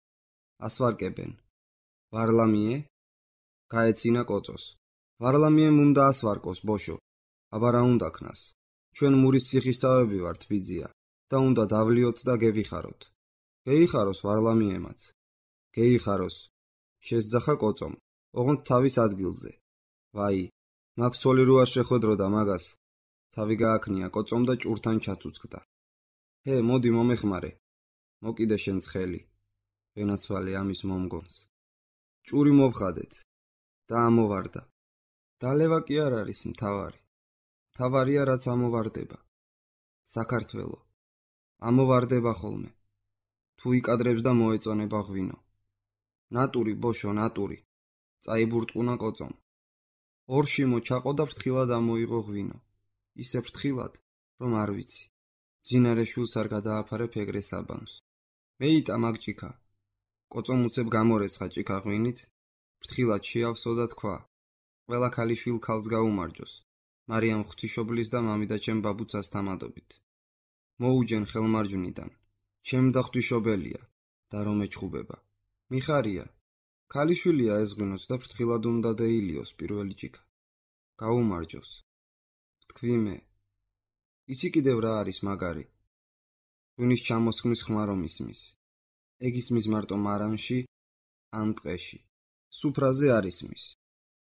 ასვარკებენ. ვარლამიე? გაეცინა კოწოს. ვარლამიემ უნდა ასვარკოს ბოშო. აბა რა უნდა ქნას? ჩვენ მურის ციხისთავები ვართ ბიძია და უნდა დავლიოთ და გევიხაროთ. გეიხაროს ვარლამიემაც. გეიხაროს. შესძახა კოწომ, ოღონდ თავის ადგილზე. ვაი, მაგ ცოლი რო არ შეხვედროდა მაგას. თავი გააქნია კოწომ და ჭურთან ჩაცუცქდა. ჰე, მოდი მომეხმარე. მოკიდე შენ ცხელი. ვენაცვალე ამის მომგონს. ჭური მოვხადეთ და ამოვარდა. დალევა კი არ არის მთავარი. მთავარია რაც ამოვარდება. საქართველო ამოვარდება ხოლმე. თუ იკადრებს და მოეწონება ღვინო. ნატური ბოშო, ნატური. წაიბურტყუნა კოწომ. ორში მოჩაყო და ფრთხილად ამოიღო ღვინო. ისე ფრთხილად, რომ არ ვიცი. ძინარე შულს არ გადააფარებ ეგრე საბანს. მეიტა მაგ ჭიქა. კოწომ უცებ გამორეცხა ჭიქა ღვინით, ფრთხილად შეავსო და თქვა: ყველა ქალიშვილ ქალს გაუმარჯოს. მარიამ ღვთისმშობლის და მამიდა ჩემ ბაბუცას თამადობით. მოუჯენ ხელმარჯვნიდან. ჩემ და ღვთისმშობელია და რომ ეჩხუბება. მიხარია. ქალიშვილია ეს ღვინოც და ფრთხილად უნდა დაილიოს პირველი ჭიქა. გაუმარჯოს. თქვი მე. იცი კიდევ რა არის მაგარი? ღვინის ჩამოსხმის ხმა რომ ისმის. ეგ ისმის მარტო მარანში ან ტყეში. სუფრაზე არ ისმის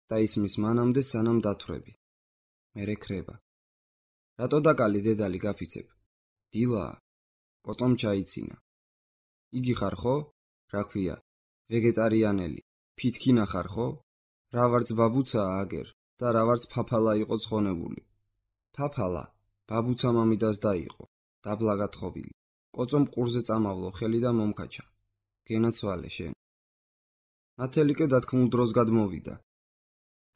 და ისმის მანამდე სანამ დათვრები. მერე ქრება. რატო დაკალი დედალი გაფიცებ? დილაა. კოწომ ჩაიცინა. იგი ხარ ხო? რა ქვია? ვეგეტარიანელი. ფითქინა ხარ ხო? რა ვარც ბაბუცაა აგერ და რა ვარც ფაფალა იყო ცხონებული. ფაფალა, ბაბუცა მამიდას დაიყო, დაბლა გათხოვილი. კოწომ ყურზე წამავლო ხელი და მომკაჩა. გენაცვალე შენ. ნათელიკე დათქმულ დროს გადმოვიდა.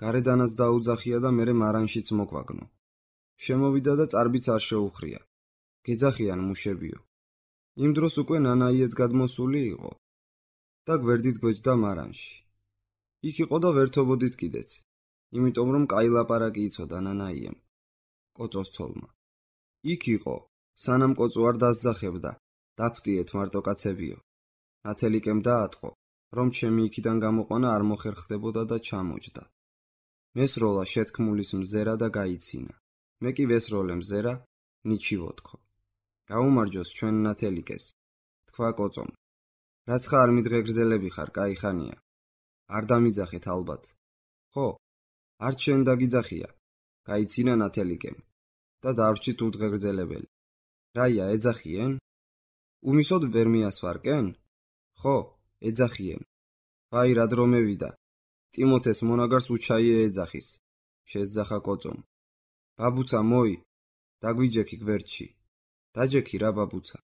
გარედანაც დაუძახია და მერე მარანშიც მოგვაგნო. შემოვიდა და წარბიც არ შეუხრია. გეძახიან მუშებიო. იმ დროს უკვე ნანაიეც გადმოსული იყო და გვერდით გვეჯდა მარანში. იქ იყო და ვერთობოდით კიდეც, იმიტომ რომ კაი ლაპარაკი იცოდა ნანაიემ, კოწოს ცოლმა. იქ იყო, სანამ კოწო არ დასძახებდა, დაგვტიეთ მარტო კაცებიო. ნათელიკემ დაატყო, რომ ჩემი იქიდან გამოყვანა არ მოხერხდებოდა და ჩამოჯდა. მესროლა შეთქმულის მზერა და გაიცინა. მე კი ვესროლე მზერა, ნიჩივოთქო. გაუმარჯოს ჩვენ ნათელიკეს, თქვა კოწომ. რაც ხარ მიდღეგრძელები ხარ, კაი ხანია. არ დამიძახეთ ალბათ. ხო, არ ჩვენ დაგიძახია, გაიცინა ნათელიკემ და დავრჩით უდღეგრძელებელი. რაია, ეძახიენ? უმისოდ ვერ მიასვარკენ? ხო, ეძახიენ. ვაი, რა დრო მევიდა. ტიმოთეს მონაგარს უჩაიე ეძახის. შესძახა კოწომ. ბაბუცა მოი, დაგვიჯექი გვერდში. დაჯექი რა ბაბუცა.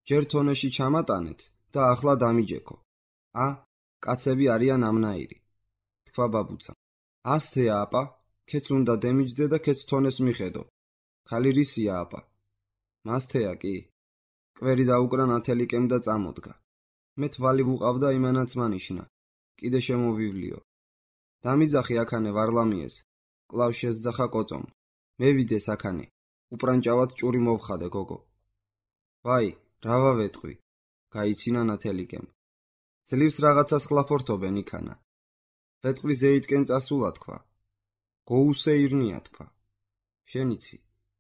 ჯერ თონეში ჩამატანეთ და ახლა დამიჯექო. ა, კაცები არიან ამნაირი. თქვა ბაბუცა. ასთეა აპა, ქეც უნდა დემიჯდე და ქეც თონეს მიხედო. ქალი რისია აპა? მასთეა კი. კვერი დაუკრა ნათელიკემ და წამოდგა. მე თვალი ვუყავდა იმანაც მანიშნა. კიდე შემოვივლიო. დამიძახი აქანე ვარლამიეს. კლავ შესძახა კოწომ. მევიდე საქანე. უპრანჭავად ჭური მოვხადე გოგო. ვაი, რა ვავეტყვი? გაიცინა ნათელიკემ. ძლივს რაღაცას ხლაფორთობენ იქანა. ვეტყვი ზეიტკენ წასულა თქვა. გოუსეირნია თქვა. შენიცი,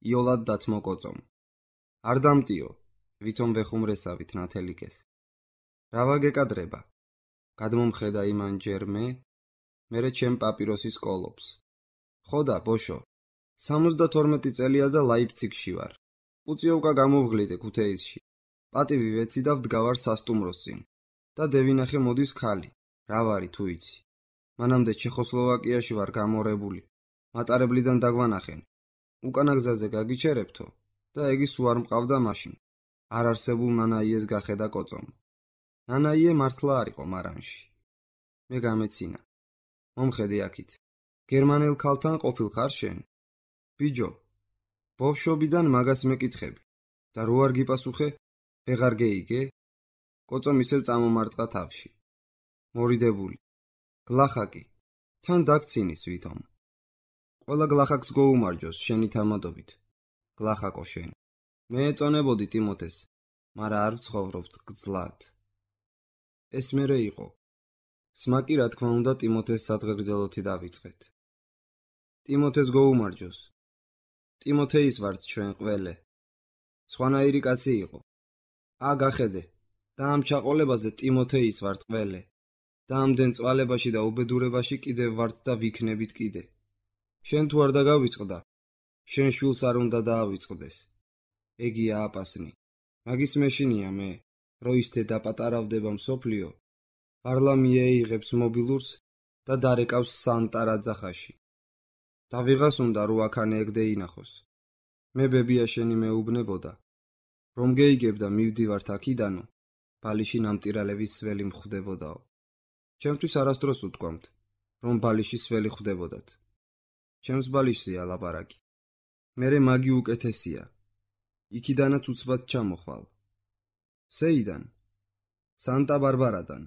იოლად დათმო კოწომ. არ დამტიო, ვითომ ვეხუმრესავით ნათელიკეს. რა ვაგეკადრება? გადმომხედა იმან ჯერ მე, მერე ჩემ პაპიროსის კოლობს. ხოდა, ბოშო, სამოცდათორმეტი წელია და ლაიფციგში ვარ. უწიოვკა გამოვღლიდე ქუთეისში. პატივი ვეცი და ვდგავარ სასტუმროს წინ. და დევინახე მოდის ქალი. რა ვარი თუ იცი? მანამდე ჩეხოსლოვაკიაში ვარ გამორებული. მატარებლიდან დაგვანახენ. უკანა გზაზე გაგიჩერებთო და ეგი სულ არ მყავდა მაშინ. არ არსებულ ნანაიეს გახედა კოწომ. ნანაიე მართლა არ იყო მარანში. მე გამეცინა. მომხედე აქით. გერმანელ ქალთან ყოფილ ხარ შენ? ბიჯო, ბავშვობიდან მაგას მეკითხები და რო არ გიპასუხე, ვეღარ გეიგე? კოწომ ისევ წამომარტყა თავში. მორიდებული. გლახაკი, თან დაგცინის ვითომ. ყველა გლახაკს გოუმარჯოს შენი თამადობით. გლახაკო შენ. მე ეწონებოდი ტიმოთეს, მარა არ ვცხოვრობთ გძლად. ეს მერე იყო. სმაკი რა თქმა უნდა ტიმოთეს სადღეგრძელოთი დავიწყეთ. ტიმოთეს გოუმარჯოს. ტიმოთეის ვართ ჩვენ ყველე. სხვანაირი კაცი იყო. ა გახედე და ამ ჩაყოლებაზე ტიმოთეის ვართ ყველე. და ამდენ წვალებაში და უბედურებაში კიდევ ვართ და ვიქნებით კიდე. შენ თუ არ დაგავიწყდა, შენ შვილს არ უნდა დაავიწყდეს. ეგია აპასნი. მაგის მეშინია მე, რო ის დედა პატარავდება მსოფლიო, პარლამიე იღებს მობილურს და დარეკავს სანტარა ძახაში. და ვიღას უნდა რო აქანე ეგდე ინახოს. მე ბებია შენი მეუბნებოდა, რომ გეიგებდა მივდივართ აქიდანო, ბალიში ნამტირალების სველი მხვდებოდაო. ჩემთვის არასდროს უთქვამთ, რომ ბალიში სველი ხვდებოდათ. ჩემს ბალიშზეა ლაპარაკი. მერე მაგი უკეთესია. იქიდანაც უცბად ჩამოხვალ. სეიდან? სანტა ბარბარადან.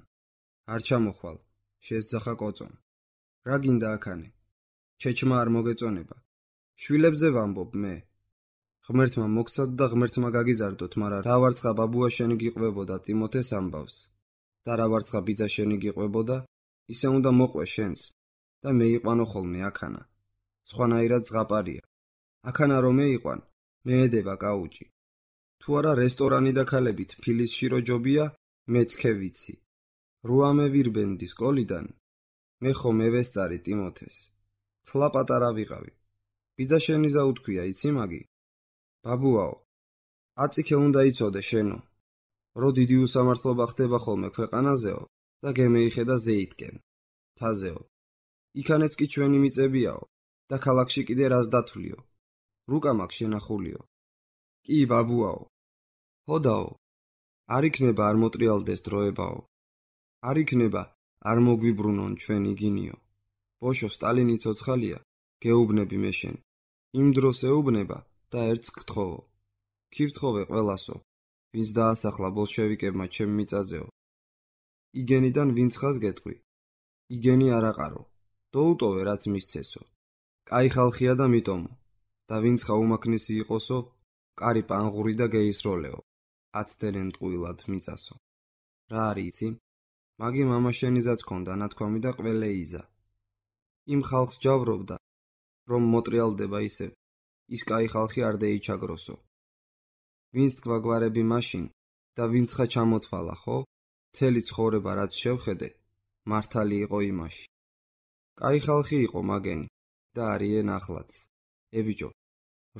არ ჩამოხვალ, შესძახა კოწომ. რა გინდა აქანე? ჩეჩმა არ მოგეწონება. შვილებზე ვამბობ მე. ღმერთმა მოგცადოთ და ღმერთმა გაგიზარდოთ, მაგრამ რა ვარცხა ბაბუა შენი გიყვებოდა ტიმოთეს ამბავს და რა ვარცხა ბიძა შენი გიყვებოდა, ისე უნდა მოყვე შენს და მეიყვანო ხოლმე აქანა. სხვანაირად ზღაპარია. აქანა რომ მეიყვან, მეედება კაუჭი. თუ არა რესტორანი და ქალებით ფილისში რო ჯობია, მეც ქე ვიცი. რუამე ვირბენდი სკოლიდან, მე ხომ ევესწარი ტიმოთეს. თლა პატარა ვიყავი. ბიძა შენი ზაუთქვია, იცი მაგი? ბაბუაო, აწიქე უნდა იცოდე შენო, რო დიდი უსამართლობა ხდება ხოლმე ქვეყანაზეო და გემეიხედა ზეითკენ, თაზეო. იქანეც კი ჩვენი მიწებიაო და ქალაქში კიდე რას დათვლიო. რუკა მაქვს შენახულიო. კი ბაბუაო. ჰოდაო, არ იქნება არ მოტრიალდეს დროებაო. არ იქნება არ მოგვიბრუნონ ჩვენ იგინიო. ბოშო სტალინი ცოცხალია, გეუბნები მე შენ. იმ დროს ეუბნება და ერთს გთხოვო. ქივთხოვე ყველასო, ვინც დაასახლა ბოლშევიკებმა ჩემ მიწაზეო. იგენიდან ვინც ხას გეტყვი. იგენი არაყარო. დაუტოვე რაც მისცესო. კაი ხალხია და მიტომო. და ვინც ხა უმაქნისი იყოსო, კარი პანღური და გეისროლეო. აცდერენ ტყუილად მიწასო. რა არის იცი? მაგი მამა შენიზაც ქონდა ნათქვამი და ყველეიზა. იმ ხალხს ჯავრობდა, რომ მოტრიალდება ისევ, ის კაი ხალხი არ დეიჩაგროსო. ვინც თქვაგვარები მაშინ და ვინც ხა ჩამოთვალა, ხო? მთელი ცხოვრება რაც შევხედე, მართალი იყო იმაში. კაი ხალხი იყო მაგენი და არიან ახლაც. ებიჭო,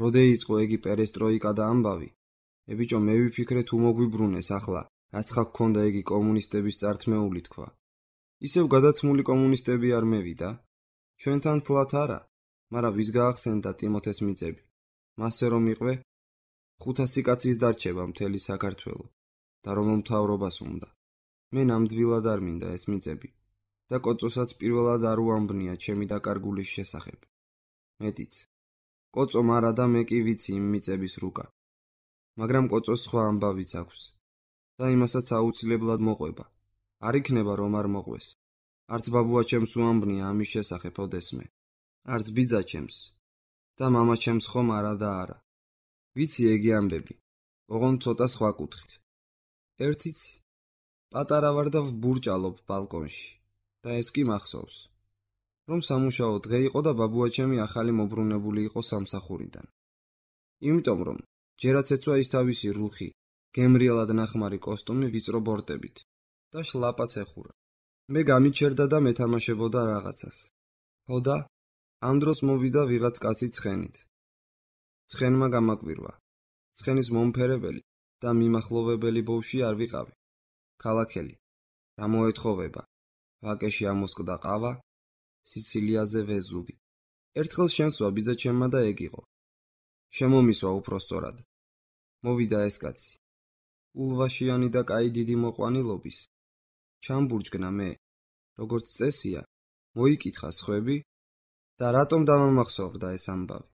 რო დაიწყო ეგი პერესტროიკა და ამბავი, ებიჭო მე ვიფიქრე თუ მოგვიბრუნეს ახლა, რაც ხა გქონდა ეგი კომუნისტების წართმეული თქვა. ისევ გადაცმული კომუნისტები არ მევიდა. ჩვენთან თლათ არა, მაგრამ ვის გაახსენდა ტიმოთეს მიწები. მასე რომ იყვე, ხუთასი კაცის დარჩება მთელი საქართველო და რომ მთავრობას უნდა. მე ნამდვილად არ მინდა ეს მიწები და კოწოსაც პირველად არ უამბნია ჩემი დაკარგულის შესახებ. მეტიც. კოწო მარა და მე კი ვიცი იმ მიწების რუკა. მაგრამ კოწოს სხვა ამბავიც აქვს და იმასაც აუცილებლად მოყვება. არ იქნება რომ არ მოყვეს. არც ბაბუა ჩემს უამბნია ამის შესახებ ოდესმე. არც ბიძა ჩემს და მამა ჩემს ხომ არა და არა. ვიცი ეგი ამბები, ოღონდ ცოტა სხვა კუთხით. ერთიც პატარა ვარ და ვბურჭალობ ბალკონში და ეს კი მახსოვს, რომ სამუშაო დღე იყო და ბაბუა ჩემი ახალი მობრუნებული იყო სამსახურიდან. იმიტომ რომ ჯერაც ეცვა ის თავისი რუხი, გემრიელად ნახმარი კოსტუმი ვიწრო ბორტებით და შლაპაც ეხურა. მე გამიჩერდა და მეთამაშებოდა რაღაცას. ჰოდა, ამ დროს მოვიდა ვიღაც კაცი ცხენით. ცხენმა გამაკვირვა. ცხენის მომფერებელი და მიმახლოვებელი ბოვში არ ვიყავი. ქალაქელი. რა მოეთხოვება? ვაკეში ამოსკდა ყავა, სიცილიაზე ვეზუვი. ერთხელ შემსვა ბიძა ჩემმა და ეგ იყო. შემომისვა უფრო სწორად. მოვიდა ეს კაცი. ულვაშიანი და კაი დიდი მოყვანილობის. ჩამბურჯგნა მე, როგორც წესია, მოიკითხა სხვები და რატომ დამამახსოვრდა ეს ამბავი.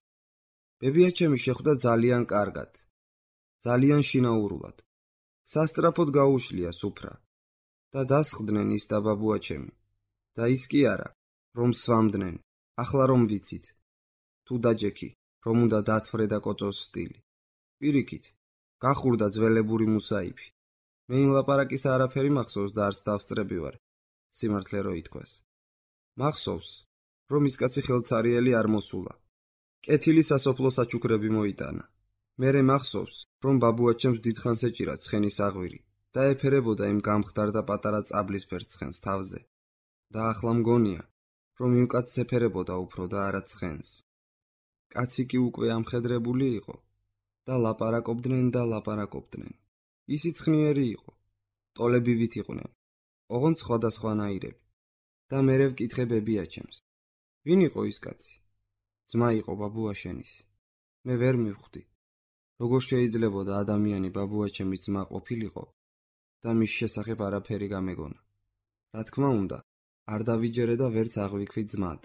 ბებია ჩემი შეხვდა ძალიან კარგად, ძალიან შინაურულად. სასწრაფოდ გაუშლია სუფრა და დასხდნენ ის და ბაბუა ჩემი. და ის კი არა, რომ სვამდნენ, ახლა რომ ვიცით. თუ დაჯექი, რომ უნდა დათვრე და კოწოს სტილი. პირიქით, გახურდა ძველებური მუსაიფი. მე იმ ლაპარაკის არაფერი მახსოვს და არც დავსწრები ვარ, სიმართლე რო ითქვას. მახსოვს, რომ ის კაცი ხელცარიელი არ მოსულა. კეთილი სასოფლო საჩუქრები მოიტანა. მერე მახსოვს, რომ ბაბუა ჩემს დიდხანს ეჭირა ცხენის აღვირი და ეფერებოდა იმ გამხდარ და პატარა წაბლისფერ ცხენს თავზე. და ახლა მგონია, რომ იმ კაცს ეფერებოდა უფრო და არა ცხენს. კაცი კი უკვე ამხედრებული იყო და ლაპარაკობდნენ და ლაპარაკობდნენ. ისიც ხნიერი იყო, ტოლები ვით იყვნენ, ოღონდ სხვადასხვანაირები. და მერე ვკითხე ბებიაჩემს, ვინ იყო ის კაცი? ძმა იყო ბაბუაშენის. მე ვერ მივხვდი, როგორ შეიძლებოდა ადამიანი ბაბუაჩემის ძმა ყოფილიყო და მის შესახებ არაფერი გამეგონა. რა თქმა უნდა, არ დავიჯერე და ვერც აღვიქვი ძმად.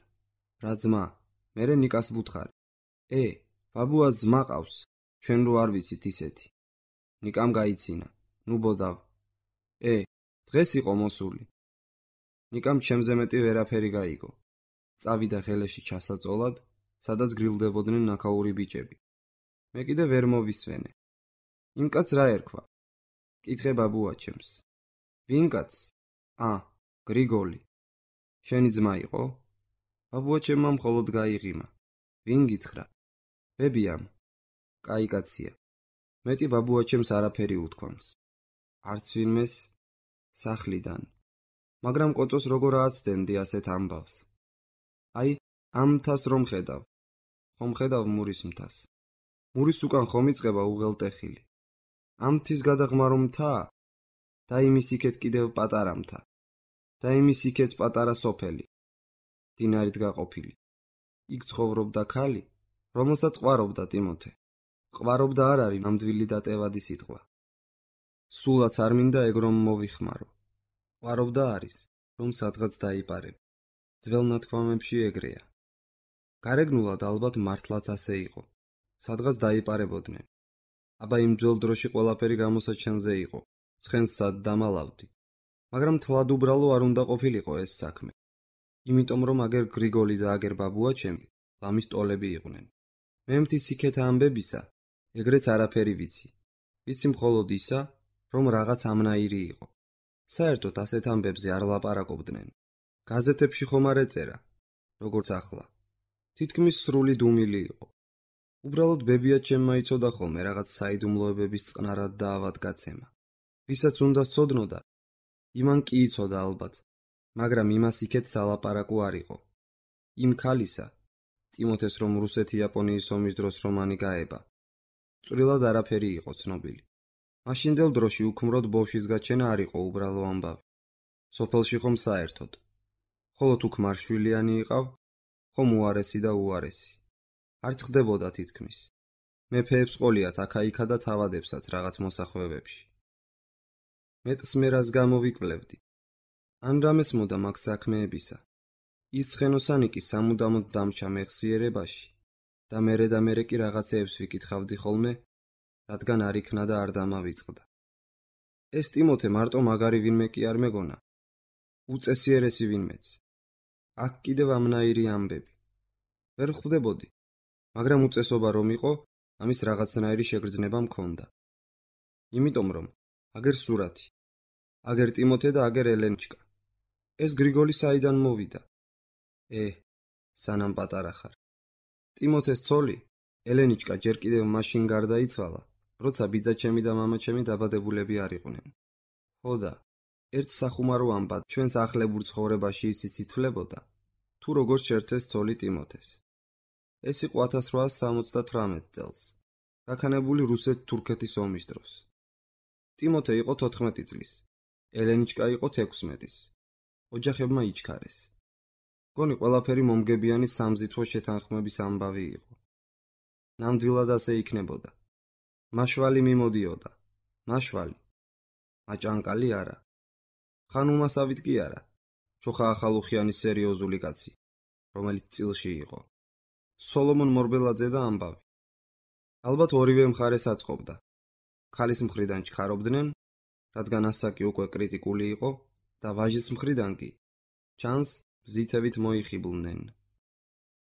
რა ძმა? მერე ნიკას ვუთხარი. ე, ბაბუას ძმა ყავს, ჩვენ რო არ ვიცით ისეთი. ნიკამ გაიცინა, ნუ ბოდავ. ე, დღეს იყო მოსული. ნიკამ ჩემზე მეტი ვერაფერი გაიგო. წავიდა ხელეში ჩასაწოლად, სადაც გრილდებოდნენ ნაქაური ბიჭები. მე კიდე ვერ მოვისვენე. იმ კაცს რა ერქვა? კითხე ბაბუაჩემს. ვინ კაცს? ა, გრიგოლი. შენი ძმა იყო? ბაბუაჩემმა მხოლოდ გაიღიმა. ვინ გითხრა? ბებიამ. კაი კაცია. მეტი ბაბუაჩემს არაფერი უთქვამს. არც ვინმეს სახლიდან. მაგრამ კოწოს როგორ ააცდენდი ასეთ ამბავს? აი, ამ მთას რომ ხედავ. ხომ ხედავ მურის მთას. მურის უკან ხომ იწყება უღელტეხილი. ამ მთის გადაღმა რომ მთაა და იმის იქეთ კიდევ პატარა მთა. და იმის იქეთ პატარა სოფელი. დინარით გაყოფილი. იქ ცხოვრობდა ქალი, რომელსაც ყვარობდა ტიმოთე. ყვარობდა არ არის ნამდვილი დატევადი სიტყვა. სულაც არ მინდა ეგ რომ მოვიხმარო. ყვარობდა არის, რომ სადღაც დაიპარებ. ძველ ნათქვამებში ეგრეა. გარეგნულად ალბათ მართლაც ასე იყო. სადღაც დაიპარებოდნენ. აბა იმ ძველ დროში ყველაფერი გამოსაჩენზე იყო. ცხენს სად დამალავდი. მაგრამ თლად უბრალო არ უნდა ყოფილიყო ეს საქმე. იმიტომ რომ აგერ გრიგოლი და აგერ ბაბუაჩემი ლამის ტოლები იყვნენ. მე მთის იქეთა ამბებისა ეგრეც არაფერი ვიცი. ვიცი მხოლოდ ისა, რომ რაღაც ამნაირი იყო. საერთოდ ასეთ ამბებზე არ ლაპარაკობდნენ. გაზეთებში ხომ არ ეწერა, როგორც ახლა. თითქმის სრული დუმილი იყო. უბრალოდ ბებიაჩემმა იცოდა ხოლმე რაღაც საიდუმლოებების წყნარად და ავადგაცემა. ვისაც უნდა სცოდნოდა, იმან კი იცოდა ალბათ, მაგრამ იმას იქეთ სალაპარაკო არ იყო. იმ ქალისა, ტიმოთეს რომ რუსეთი-იაპონიის ომის დროს რომანი გაება, წვრილად არაფერი იყო ცნობილი. მაშინდელ დროში უქმროდ ბავშვის გაჩენა არ იყო უბრალო ამბავი. სოფელში ხომ საერთოდ. ხოლო თუ ქმარშვილიანი იყავ, ხომ უარესი და უარესი. არ წყდებოდა თითქმის. მეფეებს ყოლიათ აქა-იქა და თავადებსაც რაღაც მოსახვევებში. მეტს მე რას გამოვიკვლევდი. ან რამეს მოდა მაგ საქმეებისა. ის ცხენოსანი კი სამუდამოდ დამჩა მეხსიერებაში და მერე და მერე კი რაღაცეებს ვიკითხავდი ხოლმე, რადგან არ იქნა და არ დამავიწყდა. ეს ტიმოთე მარტო მაგარი ვინმე კი არ მეგონა. უწესიერესი ვინმეც. აქ კიდევ ამნაირი ამბები. ვერ ხვდებოდი, მაგრამ უწესობა რომ იყო, ამის რაღაცნაირი შეგრძნება მქონდა. იმიტომ რომ აგერ სურათი, აგერ ტიმოთე და აგერ ელენჩკა. ეს გრიგოლი საიდან მოვიდა? ე, სანამ პატარა ხარ. ტიმოთეს ცოლი, ელენიჩკა ჯერ კიდევ მაშინ გარდაიცვალა, როცა ბიძაჩემი და მამაჩემი დაბადებულები არ იყვნენ. ხო და, ერთ სახუმარო ამბად ჩვენს ახლებურ ცხოვრებაში ისიც ითვლებოდა, თუ როგორ შეერთეს ცოლი ტიმოთეს. ეს იყო ათას რვაას სამოცდათვრამეტ წელს, გაქანებული რუსეთ-თურქეთის ომის დროს. ტიმოთე იყო თოთხმეტი წლის, ელენიჩკა იყო თექვსმეტის. ოჯახებმა იჩქარეს. გონი ყველაფერი მომგებიანი სამზითვო შეთანხმების ამბავი იყო. ნამდვილად ასე იქნებოდა. მაშვალი მიმოდიოდა. მაშვალი. მაჭანკალი არა. ხან უმასავით კი არა. ჩოხა ახალუხიანის სერიოზული კაცი, რომელიც წილში იყო. სოლომონ მორბელაძე და ამბავი. ალბათ ორივე მხარეს აწყობდა. ქალის მხრიდან ჩქარობდნენ, რადგან ასაკი უკვე კრიტიკული იყო და ვაჟის მხრიდან კი ჩანს ზითევით მოიხიბლნენ.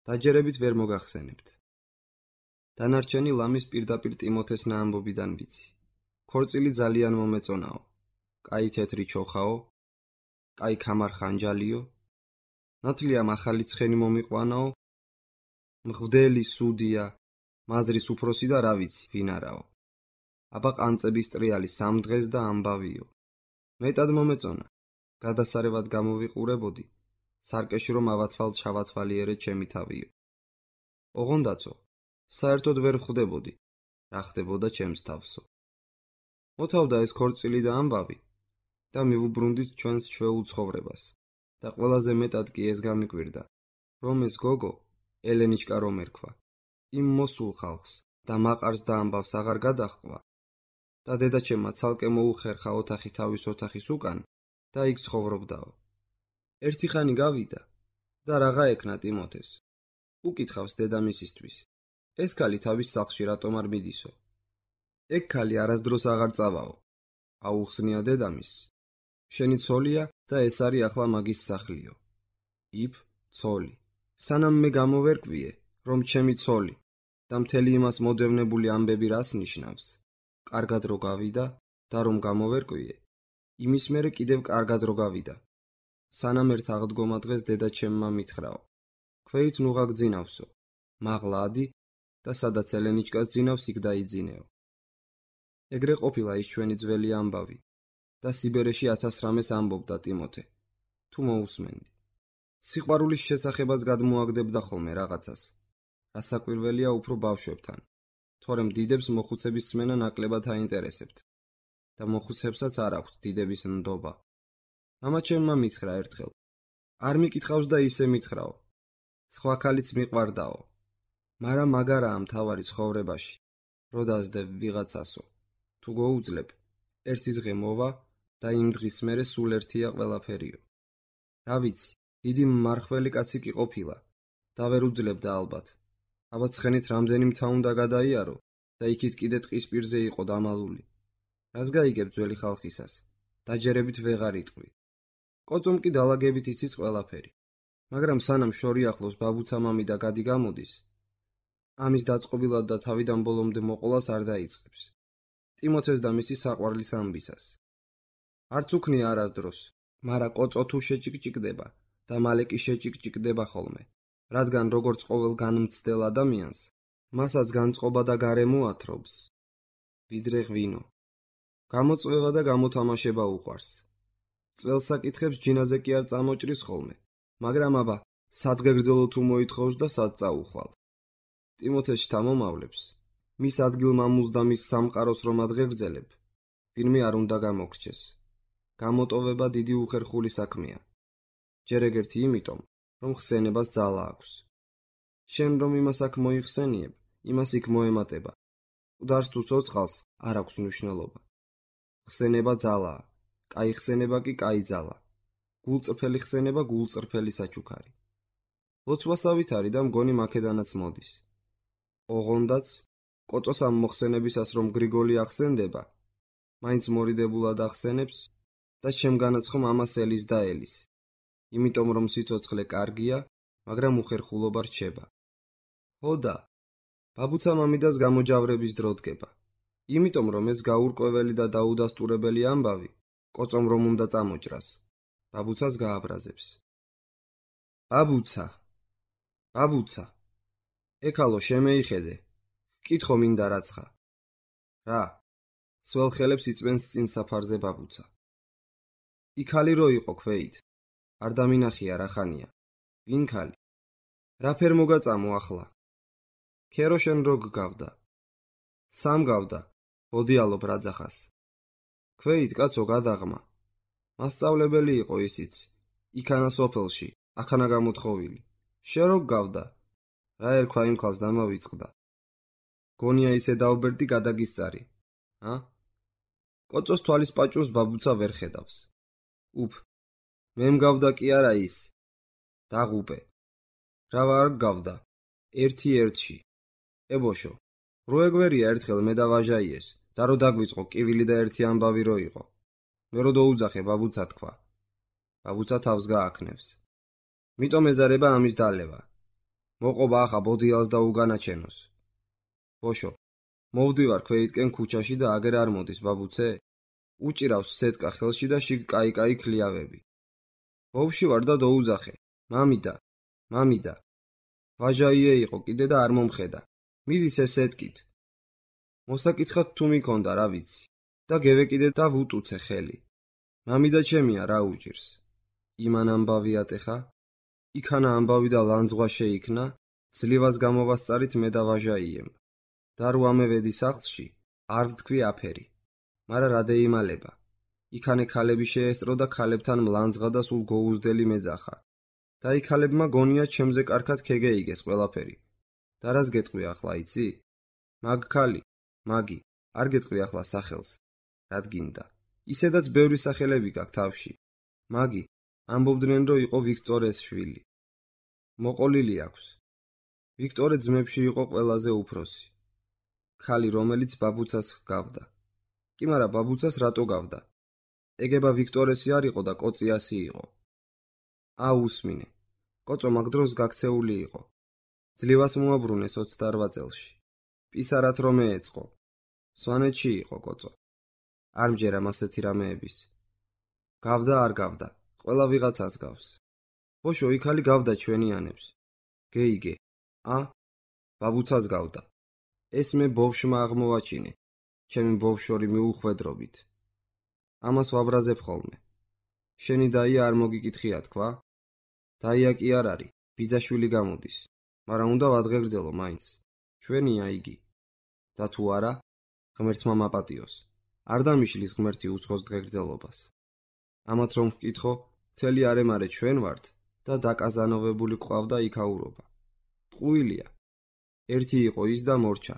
დაჯერებით ვერ მოგახსენებთ. დანარჩენი ლამის პირდაპირ ტიმოთეს ნაამბობიდან ვიცი. ქორწილი ძალიან მომეწონაო. კაი თეთრი ჩოხაო, კაი ქამარხანჯალიო, ნათლია ახალი ცხენი მომიყვანაო, მღვდელი სუდია, მაზრის უფროსი და რა ვიცი, ვინ არაო. აბა ყანწების ტრიალი სამ დღეს და ამბავიო. მეტად მომეწონა. გადასარევად გამოვიყურებოდი სარკეში რომ ავათვალ ჩავათვალიერე ჩემი თავიო. ოღონდაცო, საერთოდ ვერ ხვდებოდი, რა ხდებოდა ჩემს თავსო. მოთავდა ეს ქორწილი და ამბავი და მივუბრუნდით ჩვენს ჩვეულ ცხოვრებას და ყველაზე მეტად კი ეს გამიკვირდა, რომ ეს გოგო, ელენიჩკა რომ ერქვა, იმ მოსულ ხალხს და მაყარს და ამბავს აღარ გადაჰყვა და დედაჩემმა ცალკე მოუხერხა ოთახი თავის ოთახის უკან და იქ ცხოვრობდაო. ერთი ხანი გავიდა და რაღა ეკნა ტიმოთეს. უკითხავს დედამისისთვის, ეს ქალი თავის სახლში რატომ არ მიდისო? ეგ ქალი არასდროს აღარ წავაო. აუხსნია დედამისს. შენი ცოლია და ეს არის ახლა მაგის სახლიო. იფ, ცოლი. სანამ მე გამოვერკვიე, რომ ჩემი ცოლი და მთელი იმას მოდევნებული ამბები რას ნიშნავს? კარგად რო გავიდა და რომ გამოვერკვიე, იმის მერე კიდევ კარგად რო გავიდა. სანამ ერთ აღდგომა დღეს დედაჩემმა მითხრაო. ქვეით ნუღა გძინავსო, მაღლა ადი და სადაც ელენიჩკას ძინავს იქ დაიძინეო. ეგრე ყოფილა ის ჩვენი ძველი ამბავი და სიბერეში ათას რამეს ამბობდა ტიმოთე, თუ მოусმენდი. სიყვარულის შესახებაც გადმოაგდებდა ხოლმე რაღაცას, რასაკვირველია უფრო ბავშვებთან, თორემ დიდებს მოხუცების სმენა ნაკლებად აინტერესებთ და მოხუცებსაც არ აქვთ დიდების ნდობა. მამა ჩემმა მითხრა ერთხელ, არ მიკითხავს და ისე მითხრაო, სხვა ქალიც მიყვარდაო, მაგრამ მაგარაა მთავარი ცხოვრებაში, რო დაძდებ ვიღაცასო, თუ გოუძლებ, ერთი დღე მოვა და იმ დღის მერე სულ ერთია ყველაფერიო. რა ვიცი, დიდი მმარხველი კაცი კი ყოფილა და ვერ უძლებდა ალბათ. აბა ცხენით რამდენი მთა უნდა გადაიარო და იქით კიდე ტყის პირზე იყო დამალული. რას გაიგებ ძველი ხალხისას, დაჯერებით ვეღარ იტყვი. კოწომ კი დალაგებით იცის ყველაფერი. მაგრამ სანამ შორი ახლოს ბაბუცა მამი და გადი გამოდის, ამის დაწყობილად და თავიდან ბოლომდე მოყოლას არ დაიწყებს. ტიმოთეს და მისი საყვარლის ამბისას. არც უქნია არასდროს, მარა კოწო თუ შეჭიკჭიკდება და მალე კი შეჭიკჭიკდება ხოლმე, რადგან როგორც ყოველ განმცდელ ადამიანს, მასაც განწყობა და გარემო ათრობს. ვიდრე ღვინო. გამოწვევა და გამოთამაშება უყვარს. წველს საკითხებს ჯინაზე კი არ წამოჭრის ხოლმე, მაგრამ აბა, სად გეგრძელო თუ მოითხოვს და სად წაუხვალ. ტიმოთეს შთამომავლებს, მის ადგილმამულს და მის სამყაროს რომ ადგეგრძელებ, ვინმე არ უნდა გამოგრჩეს. გამოტოვება დიდი უხერხული საქმეა. ჯერ ეგერთი იმიტომ, რომ ხსენებას ძალა აქვს. შენ რომ იმას აქ მოიხსენიებ, იმას იქ მოემატება. მკვდარს თუ ცოცხალს არ აქვს მნიშვნელობა. ხსენება ძალაა, კაი ხსენება კი კაი ძალა. გულწრფელი ხსენება გულწრფელი საჩუქარი. ლოცვასავით არის და მგონი მაქედანაც მოდის. ოღონდაც, კოწოს ამ მოხსენებისას რომ გრიგოლი ახსენდება, მაინც მორიდებულად ახსენებს და ჩემგანაც ხომ ამას ელის და ელის. იმიტომ რომ სიცოცხლე კარგია, მაგრამ უხერხულობა რჩება. ხოდა, ბაბუცა მამიდას გამოჯავრების დრო დგება. იმიტომ რომ ეს გაურკვეველი და დაუდასტურებელი ამბავი, კოწომ რომ უნდა წამოჭრას, ბაბუცას გააბრაზებს. ბაბუცა, ბაბუცა, ეკალო შემეიხედე, კითხო მინდა რაცხა. რა? სველ ხელებს იწვენს წინ საფარზე ბაბუცა. იქალი რო იყო ქვეით, არ დამინახია რა ხანია. ვინ ქალი? რა ფერ მოგაწამო ახლა? ქერო შენ რო გგავდა? სამ გავდა, ბოდიალობ რაძახას. ქვეით კაცო გადაღმა. მასწავლებელი იყო ისიც, იქანა სოფელში, აქანა გამოთხოვილი. შე რო გგავდა? რა ერქვა იმ ხალს დამავიწყდა. გონია ისე დაუბერდი გადაგისწარი. ა? კოწოს თვალის პაჭურს ბაბუცა ვერ ხედავს. უფ, მე მგავდა კი არა ის. დაღუპე. რა ვარ გავდა? ერთი ერთში. ებოშო, რო ეგვერია ერთხელ მე და ვაჟაიეს, და რო დაგვიწყო კივილი და ერთი ამბავი რო იყო. მე რო დაუძახე ბაბუცა თქვა. ბაბუცა თავს გააქნევს. მიტომ ეზარება ამის დალევა. მოყობა ახა ბოდიალს და უგანაჩენოს. ბოშო, მოვდივარ ქვეითკენ ქუჩაში და აგერ არ მოდის ბაბუცე? უჭირავს სეტკა ხელში და შიგ კაი-კაი ქლიავები. ბავში ვარ და დაუძახე. მამიდა, მამიდა. ვაჟაიე იყო კიდე და არ მომხედა. მიდის ეს სეტკით. მოსაკითხად თუ მიქონდა რა ვიცი და გევეკიდე და ვუტუცე ხელი. მამიდა ჩემია რა უჭირს. იმან ამბავი ატეხა? იქანა ამბავი და ლანძღვა შეიქმნა, ძლივას გამოვასწარით მე და ვაჟაიემ. და რო ამევედი სახლში, არ ვთქვი აფერი. მარა რა დაიმალება. იქანე ქალები შეესწრო და ქალებთან მლანძღა და სულ გოუზდელი მეძახა. და იქ ქალებმა გონია ჩემზე კარგად ქეგეიგეს ყველაფერი. და რას გეტყვი ახლა იცი? მაგ ქალი, მაგი, არ გეტყვი ახლა სახელს. რად გინდა? ისედაც ბევრი სახელები გაქვს თავში. მაგი, ამბობდნენ რომ იყო ვიქტორეს შვილი. მოყოლილი აქვს. ვიქტორე ძმებში იყო ყველაზე უფროსი. ქალი რომელიც ბაბუცას ჰგავდა. კი მარა ბაბუცას რატო გავდა? ეგება ვიქტორესი არ იყო და კოწიასი იყო. ა უსმინე. კოწო მაგ დროს გაქცეული იყო. ძლივას მოაბრუნეს ოცდაორ წელში. პისარად რომ ეწყო. სვანეთში იყო კოწო. არ მჯერა მასეთი რამეების. გავდა არ გავდა, ყველა ვიღაცას გავს. ბოშო იქალი გავდა ჩვენიანებს. გეიგე. ა? ბაბუცას გავდა. ეს მე ბოვშმა აღმოვაჩინე. ჩემი ბოვშორი მიუხვედრობით. ამას ვაბრაზებ ხოლმე. შენი დაია არ მოგიკითხია თქვა? დაია კი არ არის, ბიძაშვილი გამოდის. მაგრამ უნდა ვადღეგრძელო მაინც. ჩვენია იგი. და თუ არა, ღმერთმა მაპატიოს. არ დამიშლის ღმერთი უცხოს დღეგრძელობას. ამათ რომ ვკითხო, მთელი არემარე ჩვენ ვართ და დაკაზანოვებული ყავდა იქაურობა. ტყუილია. ერთი იყო ის და მორჩა.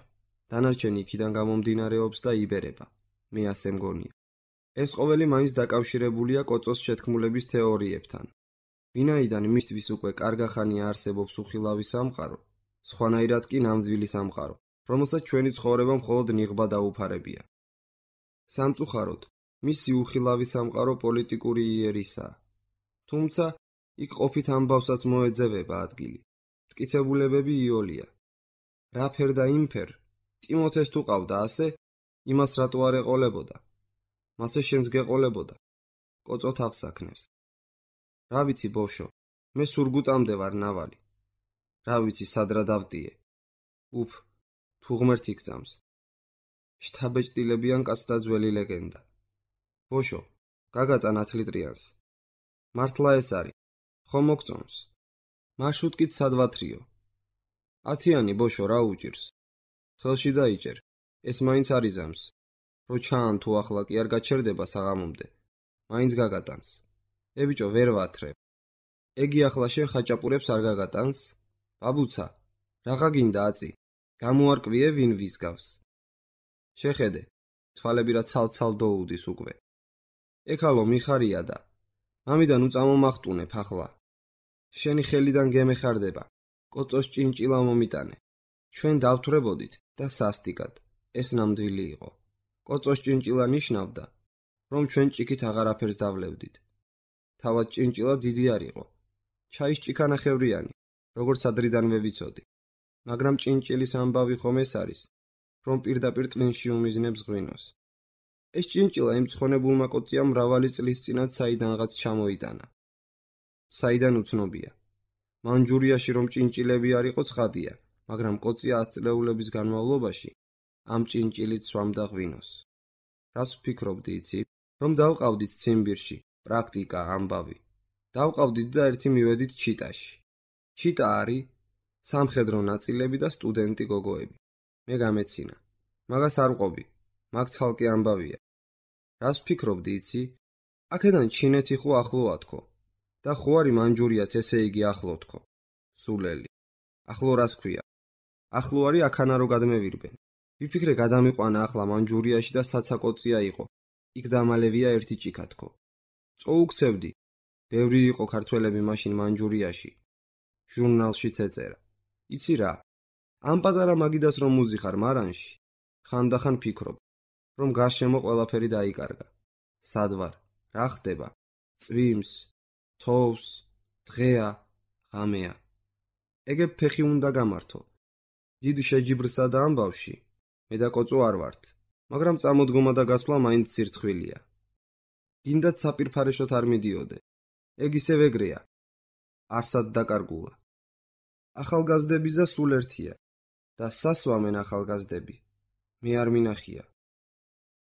დანარჩენი იქიდან გამომდინარეობს და იბერება. მე ასე მგონია. ეს ყოველი მაინც დაკავშირებულია კოწოს შეთქმულების თეორიებთან. ვინაიდან მისთვის უკვე კარგახანია არსებობს უხილავი სამყარო, სხვანაირად კი ნამდვილი სამყარო, რომელსაც ჩვენი ცხოვრება მხოლოდ ნიღბა დაუფარებია. სამწუხაროდ, მისი უხილავი სამყარო პოლიტიკური იერისაა. თუმცა, იქ ყოფით ამბავსაც მოეძებება ადგილი. მტკიცებულებები იოლია. რა ფერ და იმ ფერ, ტიმოთეს თუ ყავდა ასე, იმას რატო არ ეყოლებოდა? მასე შენს გეყოლებოდა. კოწო თავს აქნევს. რა ვიცი ბოშო, მე სურგუტამდე ვარ ნავალი. რა ვიცი სად რა დავტიე. უფ, თუ ღმერთი გძამს. შთაბეჭდილებიან კაცთა ძველი ლეგენდა. ბოშო, გაგატან ათლიტრიანს. მართლა ეს არის, ხომ მოგწონს? მარშრუტკით სად ვათრიო? ათიანი ბოშო რა უჭირს? ხელში დაიჭერ, ეს მაინც არიზამს. რო ჩაან თუ ახლა კი არ გაჩერდება საღამომდე. მაინც გაგატანს. ე ბიჭო ვერ ვათრებ. ეგი ახლა შენ ხაჭაპურებს არ გაგატანს? ბაბუცა, რაღა გინდა აწი? გამოარკვიე ვინ ვის გავს. შეხედე, თვალები რა ცალ-ცალ დოუდის უკვე. ეკალო მიხარია და მამიდან უწამომახტუნებ ახლა. შენი ხელიდან გემეხარდება. კოწოს ჭინჭილა მომიტანე. ჩვენ დავთვრებოდით და სასტიკად. ეს ნამდვილი იყო. კოწოს ჭინჭილა ნიშნავდა, რომ ჩვენ ჭიქით აღარაფერს დავლევდით. თავად ჭინჭილა დიდი არ იყო. ჩაის ჭიქანახევრიანი, როგორც ადრიდანვე ვიცოდი. მაგრამ ჭინჭილის ამბავი ხომ ეს არის, რომ პირდაპირ ტვინში უმიზნებს ღვინოს. ეს ჭინჭილა იმ ცხონებულმა კოწიამ მრავალი წლის წინათ საიდანღაც ჩამოიტანა. საიდან უცნობია. მანჯურიაში რომ ჭინჭილები არ იყო ცხადია, მაგრამ კოწია ათწლეულების განმავლობაში ამ ჭინჭილით სვამდა ღვინოს. რას ვფიქრობდი იცი? რომ დავყავდით ციმბირში, პრაქტიკა, ამბავი. დავყავდით და ერთი მივედით ჩიტაში. ჩიტა არის სამხედრო ნაწილები და სტუდენტი გოგოები. მე გამეცინა. მაგას არ ვყობი, მაგ ცალკე ამბავია. რას ვფიქრობდი იცი? აქედან ჩინეთი ხო ახლოა თქო. და ხო არის მანჯურიაც ესე იგი ახლო თქო. სულელი. ახლო რას ქვია? ახლო არის აქანა რო გადმევირბენ. ვიფიქრე გადამიყვანა ახლა მანჯურიაში და საცაკოწია იყო. იქ დამალევია ერთი ჭიქა თქო. წოუქცევდი. ბევრი იყო ქართველები მაშინ მანჯურიაში. ჟურნალშიც ეწერა. იცი რა? ამ პატარა მაგიდას რომ მუზიხარ მარანში, ხანდახან ფიქრობ, რომ გარშემო ყველაფერი დაიკარგა. სად ვარ? რა ხდება? წვიმს, თოვს, დღეა, ღამეა. ეგებ ფეხი უნდა გამართო. დიდ შეჯიბრსა და ამბავში, მე და კოწო არ ვართ, მაგრამ წამოდგომა და გასვლა მაინც სირცხვილია. გინდათ საპირფარეშოთ არ მიდიოდე. ეგ ისევ ეგრეა. არსად დაკარგულა. ახალგაზრდებისა სულ ერთია და სასვამენ ახალგაზრდები. მე არ მინახია.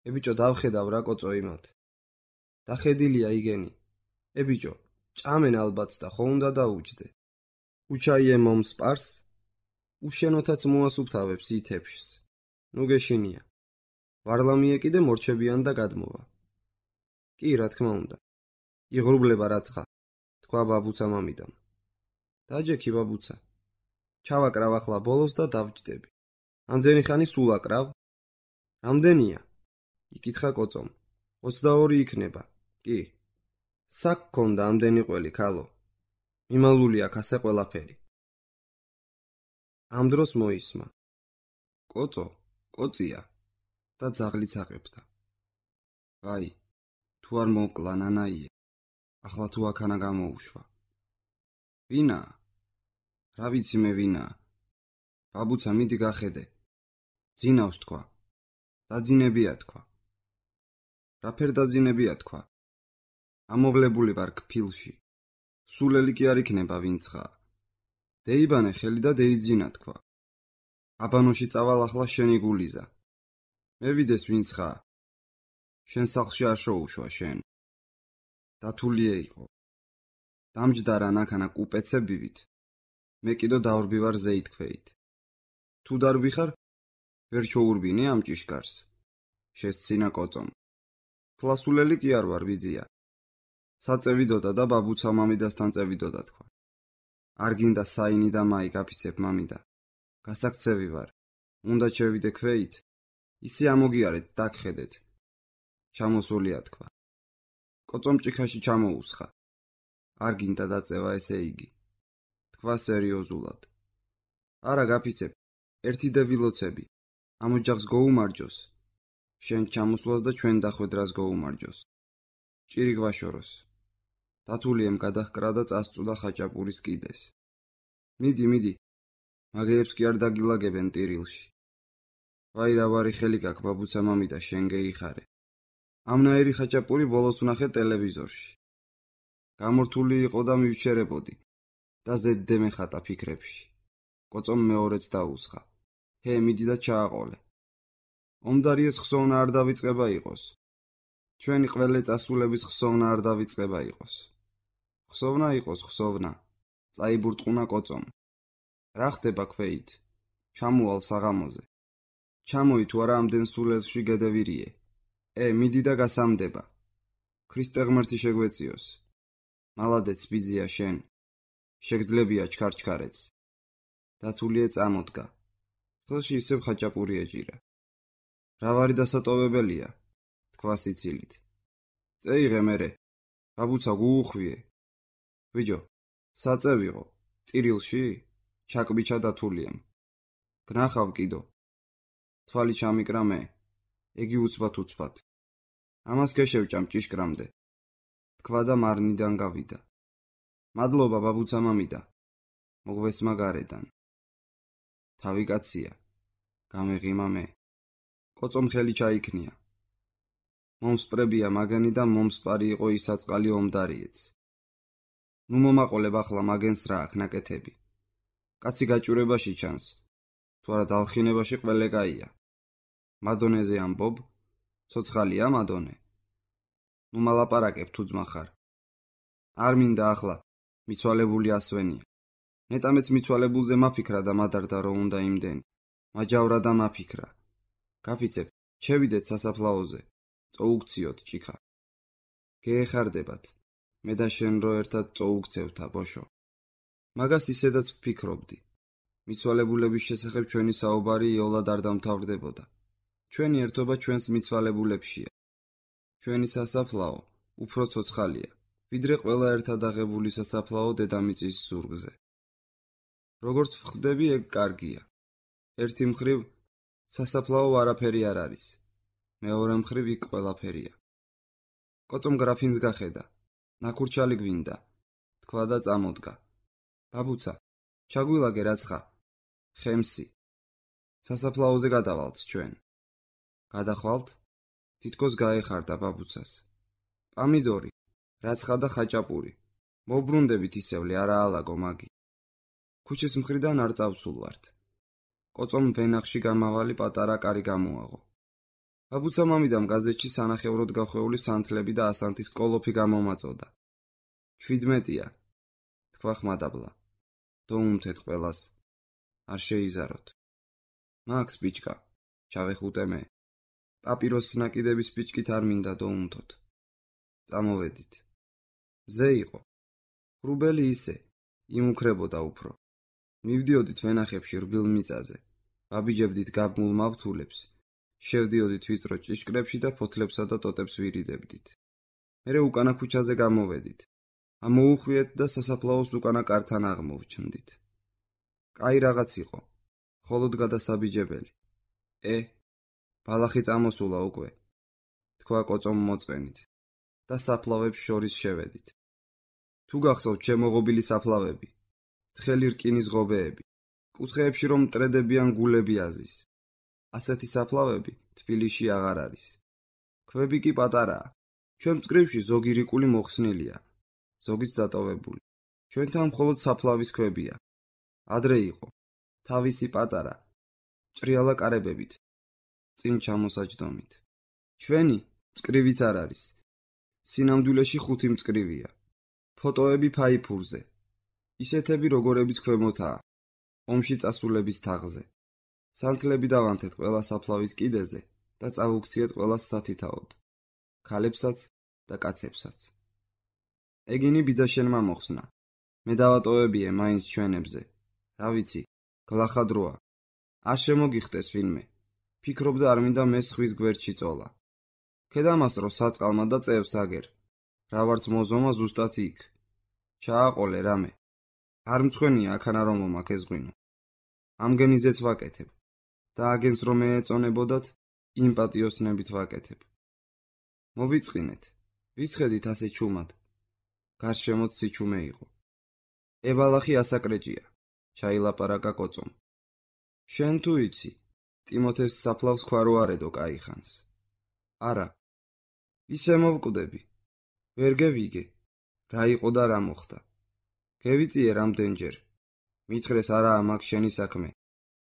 ე ბიჭო დავხედავ რა კოწო იმათ. დახედილია იგენი. ე ბიჭო, ჭამენ ალბათ და ხო უნდა დაუჯდე. უჩაიე მომს პარს, უშენოთაც მოასუფთავებს ითეფშს. ნუ გეშინია. ვარლამიე კიდე მორჩებიან და გადმოვა. კი, რა თქმა უნდა. იღრუბლება რაცხა, თქვა ბაბუცა მამიდამ. დაჯექი ბაბუცა. ჩავაკრავ ახლა ბოლოს და დავჯდები. ამდენი ხანი სულ აკრავ? რამდენია? იკითხა კოწომ. ოცდაორი იქნება. კი. საკ ქონდა ამდენი ყველი, ქალო. მიმალული აქ ასე ყველაფერი. ამ დროს მოისმა. კოწო, კოწია და ძაღლიც აყებდა. აი, თუ არ მოკლა ნანაიე, ახლა თუ აქანა გამოუშვა. ვინა? რა ვიცი მე ვინა? ბაბუცა მიდი გახედე. ძინავს თქვა. დაძინებია თქვა. რა ფერ დაძინებია თქვა? ამოვლებული ვარ კფილში. სულელი კი არ იქნება ვინცღა. დეიბანე ხელი და დეიძინა თქვა. აბანოში წავალ ახლა შენი გულიზა. მე ვიდეს ვინცღა. შენ სახლში არ შეუშვა შენ. დათულია იყო. დამჯდარა ნახანა კუპეცებივით. მე კიდო დავრბი ვარ ზეითქვეით. თუ დარბი ხარ, ვერ ჩოურბინე ამ ჭიშკარს. შესცინა კოწომ. თლასულელი კი არ ვარ ვიძია. საწევიდოდა და ბაბუცა მამიდასთან წევიდოდა თქვა. არ გინდა საინი და მაი გაფიცებ მამიდა. გასაქცევი ვარ. უნდა შევიდე ქვეით. ისე ამოგიარეთ დაგხედეთ. ჩამოსულია თქვა. კოწომ ჭიქაში ჩამოუსხა. არ გინდა დაწევა ესე იგი. თქვა სერიოზულად. არა გაფიცებ. ერთი და ვილოცები. ამ ოჯახს გოუმარჯოს. შენ ჩამოსვლას და ჩვენ დახვედრას გოუმარჯოს. ჭირი გვაშოროს. დათულიემ გადაჰკრა და წასწუდა ხაჭაპურის კიდეს. მიდი, მიდი. მაგეებს კი არ დაგილაგებენ ტირილში. ვაი რა ვარი ხელი გაქვს ბაბუცა მამიდა შენ გეიხარე. ამნაირი ხაჭაპური ბოლოს ვნახე ტელევიზორში. გამორთული იყო და მივჩერებოდი და ზედდე მეხატა ფიქრებში. კოწომ მეორეც დაუსხა. ჰე, მიდი და ჩააყოლე. ომდარიეს ხსოვნა არ დავიწყება იყოს. ჩვენი ყველე წასულების ხსოვნა არ დავიწყება იყოს. ხსოვნა იყოს, ხსოვნა. წაიბურტყუნა კოწომ. რა ხდება ქვეით? ჩამოვალ საღამოზე. ჩამოი თუ არა ამდენ სულელში გედევირიე. ე, მიდი და გასამდება. ქრისტე ღმერთი შეგვეციოს. მალადეც ბიძია შენ. შეგძლებია ჩქარჩქარეც. დათულიე წამოდგა. ხელში ისევ ხაჭაპური ეჭირა. რა ვარი დასატოვებელია? თქვა სიცილით. წეიღე მერე. ბაბუცა გუუხვიე. ვიჯო, საწევიღო. ტირილში? ჩაკბიჩა დათულიემ. გნახავ კიდო. თვალი ჩამიკრა მე. ეგი უცბად უცბად. ამას გეშევჭამ ჭიშკრამდე. თქვა და მარნიდან გავიდა. მადლობა ბაბუცა მამიდა. მოგვესმა გარედან. თავი კაცია. გამეღიმა მე. კოწომ ხელი ჩაიქნია. მომსპრებია მაგენი და მომსპარი იყო ისაწყალი ომდარიეც. ნუ მომაყოლებ ახლა მაგენს რა აქ ნაკეთები. კაცი გაჭურებაში ჩანს. თუ არა დალხინებაში ყველე კაია. მადონეზე ამბობ? ცოცხალია მადონე. ნუ მალაპარაკებ თუ ძმა ხარ. არ მინდა ახლა მიცვალებული ასვენია. ნეტამეც მიცვალებულზე მაფიქრა და მადარდა რომ უნდა იმდენი. მაჯავრა და მაფიქრა. გაფიცებ, შევიდეთ სასაფლაოზე. წოუქციოთ ჭიქა. გეეხარდებათ. მე და შენ რო ერთად წოუქცევთა ბოშო. მაგას ისედაც ვფიქრობდი. მიცვალებულების შესახებ ჩვენი საუბარი იოლად არ დამთავრდებოდა. ჩვენი ერთობა ჩვენს მიცვალებულებშია. ჩვენი სასაფლაო უფრო ცოცხალია, ვიდრე ყველა ერთად აღებული სასაფლაო დედამიწის ზურგზე. როგორც ვხვდები, ეგ კარგია. ერთი მხრივ სასაფლაო არაფერი არ არის. მეორე მხრივ იქ ყველაფერია. კოწომ გრაფინს გახედა. ნაკურჩალი გვინდა. თქვა და წამოდგა. ბაბუცა, ჩაგვილაგე რაცხა. ხემსი. სასაფლაოზე გადავალთ ჩვენ. გადახვალთ? თითქოს გაეხარდა ბაბუცას. პამიდორი, რაცხა და ხაჭაპური. მოbrუნდებით ისევლი, არა ალაგო მაგი. ქუჩის მხრიდან არ წავსულ ვართ. კოწომ ვენახში გამავალი პატარა კარი გამოაღო. ბაბუცა მამიდამ გაზეთში სანახევროდ გახვეული სანთლები და ასანთის კოლოფი გამომაწოდა. შვიდმეტია, თქვა ხმადაბლა. დოუნთეთ ყველას, არ შეიზაროთ. მაქს ბიჭკა, ჩავეხუტე მე. პაპიროსის ნაკიდების ბიჭკით არ მინდა დოუნთოთ. წამოვედით. მზე იყო. ხრუბელი ისე, იმუქრებოდა უფრო. მივდიოდით ვენახებში რბილ მიწაზე, ვაბიჯებდით გაბმულ მავთულებს, შევდიოდით ვიწრო ჭიშკრებში და ფოთლებსა და ტოტებს ვირიდებდით. მერე უკანა ქუჩაზე გამოვედით. ამოუხვიეთ და სასაფლაოს უკანა კართან აღმოვჩნდით. კაი რაღაც იყო, ხოლოდ გადასაბიჯებელი. ე, ბალახი წამოსულა უკვე, თქვა კოწომ მოწყენით და საფლავებს შორის შევედით. თუ გახსოვთ შემოღობილი საფლავები, თხელი რკინის ღობეები, კუთხეებში რომ მტრედებიან გულები აზის. ასეთი საფლავები თბილისში აღარ არის. ქვები კი პატარაა. ჩვენ მწკრივში ზოგი რიკული მოხსნილია, ზოგიც დატოვებული. ჩვენთან მხოლოდ საფლავის ქვებია. ადრე იყო, თავისი პატარა, ჭრიალა კარებებით, წინ ჩამოსაჯდომით. ჩვენი მწკრივიც არ არის. სინამდვილეში ხუთი მწკრივია. ფოტოები ფაიფურზე. ისეთები როგორებიც ქვემოთაა, ომში წასულების თაღზე. სანთლები დავანთეთ ყველა საფლავის კიდეზე და წავუქციეთ ყველას სათითაოდ. ქალებსაც და კაცებსაც. ეგინი ბიძაშენმა მოხსნა. მე დავატოვებიე მაინც ჩვენებზე. რა ვიცი, გლახადროა. არ შემოგიხდეს ვინმე. ფიქრობდა არ მინდა მე სხვის გვერდში წოლა. ქედამასრო საწყალმა და წევს აგერ. რა ვარც მოზომა ზუსტად იქ. ჩააყოლე რამე. არ მცხვენია აქანა რომ მომაქეზღვინო. ამგენიზეც ვაკეთებ. და აგენს რომ მე ეწონებოდათ, იმ პატიოსნებით ვაკეთებ. მოვიწყინეთ. ვისხედით ასე ჩუმად. გარშემოც სიჩუმე იყო. ებალახი ასაკრეჭია. ჩაილაპარაკა კოწომ. შენ თუ იცი, ტიმოთეს საფლავს ქვა რო არედო კაიხანს. არა. ისე მოვკვდები. ვერ გევიგე. რა იყო და რა მოხდა. გევიწიე რამდენჯერ. მითხრეს არაა მაგ შენი საქმე.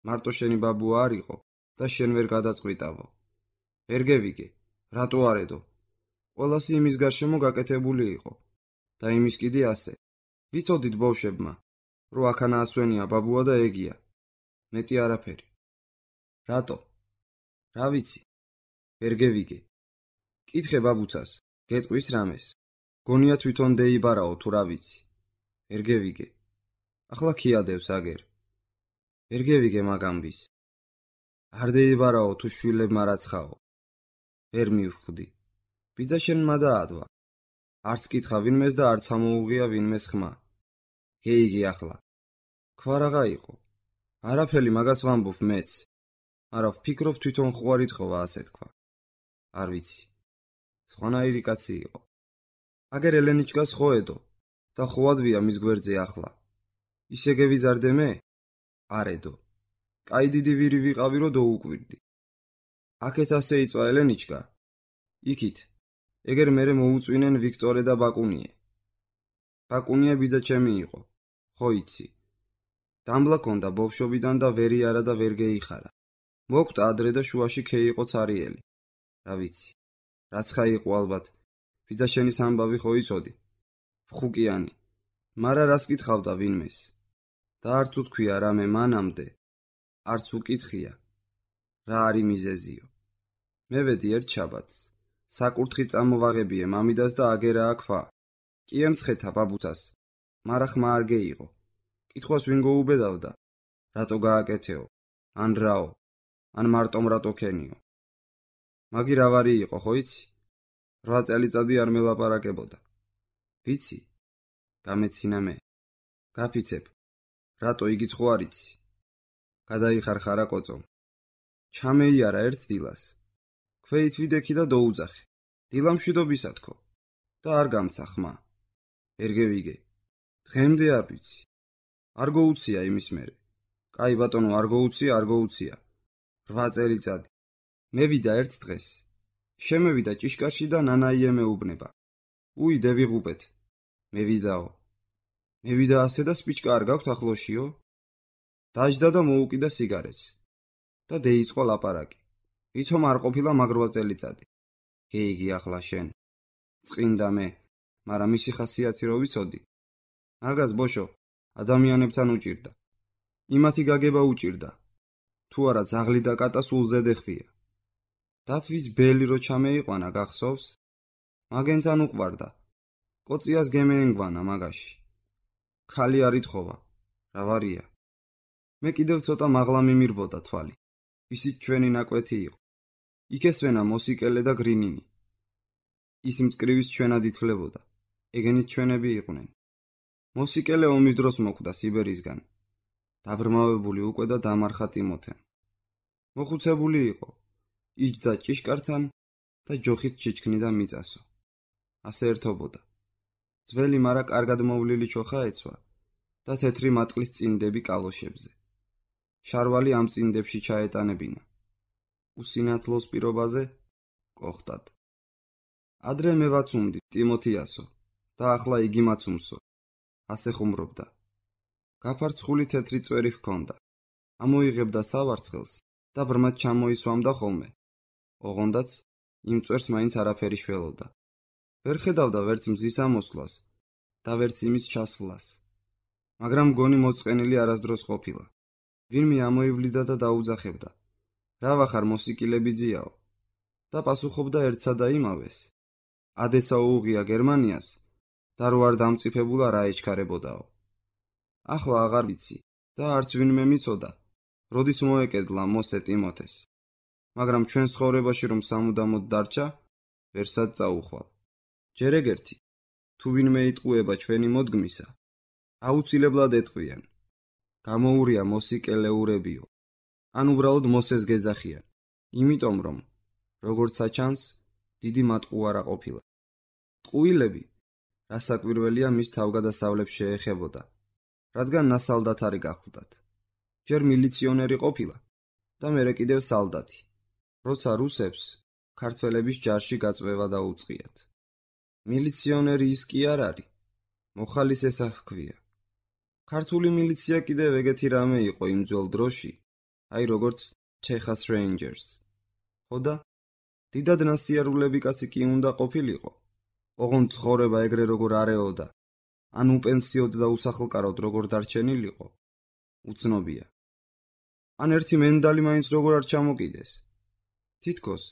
მარტო შენი ბაბუა არ იყო და შენ ვერ გადაწყვიტავო. ვერ გევიგე. რატო არედო? ყველასი იმის გარშემო გაკეთებული იყო. და იმის კიდე ასე. ვიცოდით ბავშვებმა, რომ აქანა ასვენია ბაბუა და ეგია. მეტი არაფერი. რატო? რა ვიცი. ვერ გევიგე. კითხე ბაბუცას, გეტყვის რამეს. გონია თვითონ დეიბარაო თუ რა ვიცი. ვერ გევიგე. ახლა ქიადევს აგერ. ვერ გევიგე მაგამბის. არ დეიბარაო თუ შვილებმა რაცხაო. ვერ მივხვდი. ბიძაშენმა დაადვა. არც კითხა ვინმეს და არც ამოუღია ვინმეს ხმა. გეიგე ახლა. ქვა რაღა იყო. არაფერი მაგას ვამბობ მეც. არა ვფიქრობ თვითონ ხვარი თხოვა ასე თქვა. არ ვიცი. სხვანაირი კაცი იყო. აგერ ელენიჩკას ხოედო და ხოვადვია მის გვერდზე ახლა. ისე გევიზარდე მე? არედო. კაი დიდი ვირი ვიყავი რო დაუკვირდი. აქეთ ასე იწვა ელენიჩკა. იქით. ეგერ მერე მოუწვინენ ვიქტორე და ბაკუნიე. ბაკუნია ბიძა ჩემი იყო. ხო იცი. დამბლა ქონდა ბავშვობიდან და ვერი არა და ვერ გეიხარა. მოკვდა ადრე და შუაში ქე იყო ცარიელი. რა ვიცი. რაცხა იყო ალბათ. ბიძაშენის ამბავი ხო იცოდი. ფხუკიანი. მარა რას კითხავდა ვინმეს. და არც უთქვია რამე მანამდე. არც უკითხია. რა არის მიზეზიო. მე ვედი ერთ შაბათს. საკურთხი წამოვაღებიე მამიდას და აგერაა ქვა. კი ემცხეთა ბაბუცას. მარა ხმა არ გეიღო. კითხვას ვინ გოუბედავდა. რატო გააკეთეო? ან რაო? ან მარტომ რატო ქენიო? მაგი რა ვარი იყო ხო იცი? რვა წელიწადი არ მელაპარაკებოდა. ვიცი? გამეცინა მე. გაფიცებ. რატო იგიც ხო არ იცი? გადაიხარხარა კოწომ. ჩამეიარა ერთ დილას. ქვეით ვიდექი და დაუძახე. დილა მშვიდობისა თქო. და არ გამცა ხმა. ვერ გევიგე. დღემდე არ ვიცი. არ გოუცია იმის მერე. კაი ბატონო არ გოუცია, არ გოუცია. რვა წელიწადი. მე ვიდა ერთ დღეს. შემევიდა ჭიშკარში და ნანაიე მეუბნება. უი დევიღუპეთ. მე ვიდაო. მე ვიდა ასე და სპიჩკა არ გაქვთ ახლოშიო? დაჯდა და მოუკიდა სიგარეს. და დეიწყო ლაპარაკი. ვითომ არ ყოფილა მაგ რვა წელიწადი. გეიგი ახლა შენ. წყინდა მე. მაგრამ მისი ხასიათი რო ვიცოდი, მაგას ბოშო ადამიანებთან უჭირდა. იმათი გაგება უჭირდა. თუ არა ძაღლი და კატა სულ ზედეხვია. დათვის ბელი რო ჩამეიყვანა გახსოვს? მაგენთან უყვარდა. კოციას გემეენგვანა მაგაში. ქალი არ ითხოვა. რა ვარია? მე კიდევ ცოტა მაღლა მიმირბოდა თვალი. ისიც ჩვენი ნაკვეთი იყო. იქ ესვენა მოსიკელე და გრინინი. ის მწკრივის ჩვენად ითვლებოდა. ეგენით ჩვენები იყვნენ. მოსიკელე ომის დროს მოკვდა სიბერისგან. დაბრმავებული უკვე და დამარხა ტიმოთემ. მოხუცებული იყო. იჯდა ჭიშკართან და ჯოხით ჩიჩქნიდა მიწასო. ასე ერთობოდა. ძველი მარა კარგად მოვლილი ჩოხა ეცვა და თეთრი მატყლის წინდები კალოშებზე. შარვალი ამ წინდებში ჩაეტანებინა. უსინათლოს პირობაზე კოხტად. ადრე მე ვაცუმდი ტიმოთიასო და ახლა იგი მაცუმსო. ასე ხუმრობდა. გაფარცხული თეთრი წვერი ჰქონდა. ამოიღებდა სავარცხელს და ბრმად ჩამოისვამდა ხოლმე. ოღონდაც იმ წვერს მაინც არაფერი შველოდა. ვერ ხედავდა ვერც მზის ამოსვლას და ვერც იმის ჩასვლას. მაგრამ მგონი მოწყენილი არასდროს ყოფილა. ვინმე ამოივლიდა და დაუძახებდა. რა ვახარ მოსიკილები ძიაო? და პასუხობდა ერთსა და იმავეს. ადესა უუღია გერმანიას და რო არ დამწიფებულა რა ეჩქარებოდაო. ახლა აღარ ვიცი და არც ვინმე მიცოდა, როდის მოეკედლა მოსე ტიმოთეს. მაგრამ ჩვენ ცხოვრებაში რომ სამუდამოდ დარჩა, ვერსად წაუხვალ. ჯერ ეგერთი, თუ ვინმე იტყუება ჩვენი მოდგმისა, აუცილებლად ეტყვიან. გამოურია მოსიკელეურებიო. ან უბრალოდ მოსეს გეძახიან, იმიტომ რომ, როგორც აჩანს, დიდი მატყუ არა ყოფილა. ტყუილები, რასაკვირველია მის თავგადასავლებს შეეხებოდა, რადგან ნასალდათარი გახლდათ. ჯერ მილიციონერი ყოფილა და მერე კიდევ სალდათი. როცა რუსებს ქართველების ჯარში გაწვევა დაუწყიათ. მილიციონერი ის კი არ არის, მოხალის ესა ჰქვია. ქართული მილიცია კიდევ ეგეთი რამე იყო იმ ძველ დროში, აი როგორც Texas Rangers. ხოდა დიდად ნასიარულები კაცი კი უნდა ყოფილიყო. ოღონდ ცხოვრება ეგრე როგორ არეოდა, ან უპენსიოდ და უსახლკაროდ როგორ დარჩენილიყო, უცნობია. ან ერთი მენდალი მაინც როგორ არ ჩამოკიდეს. თითქოს,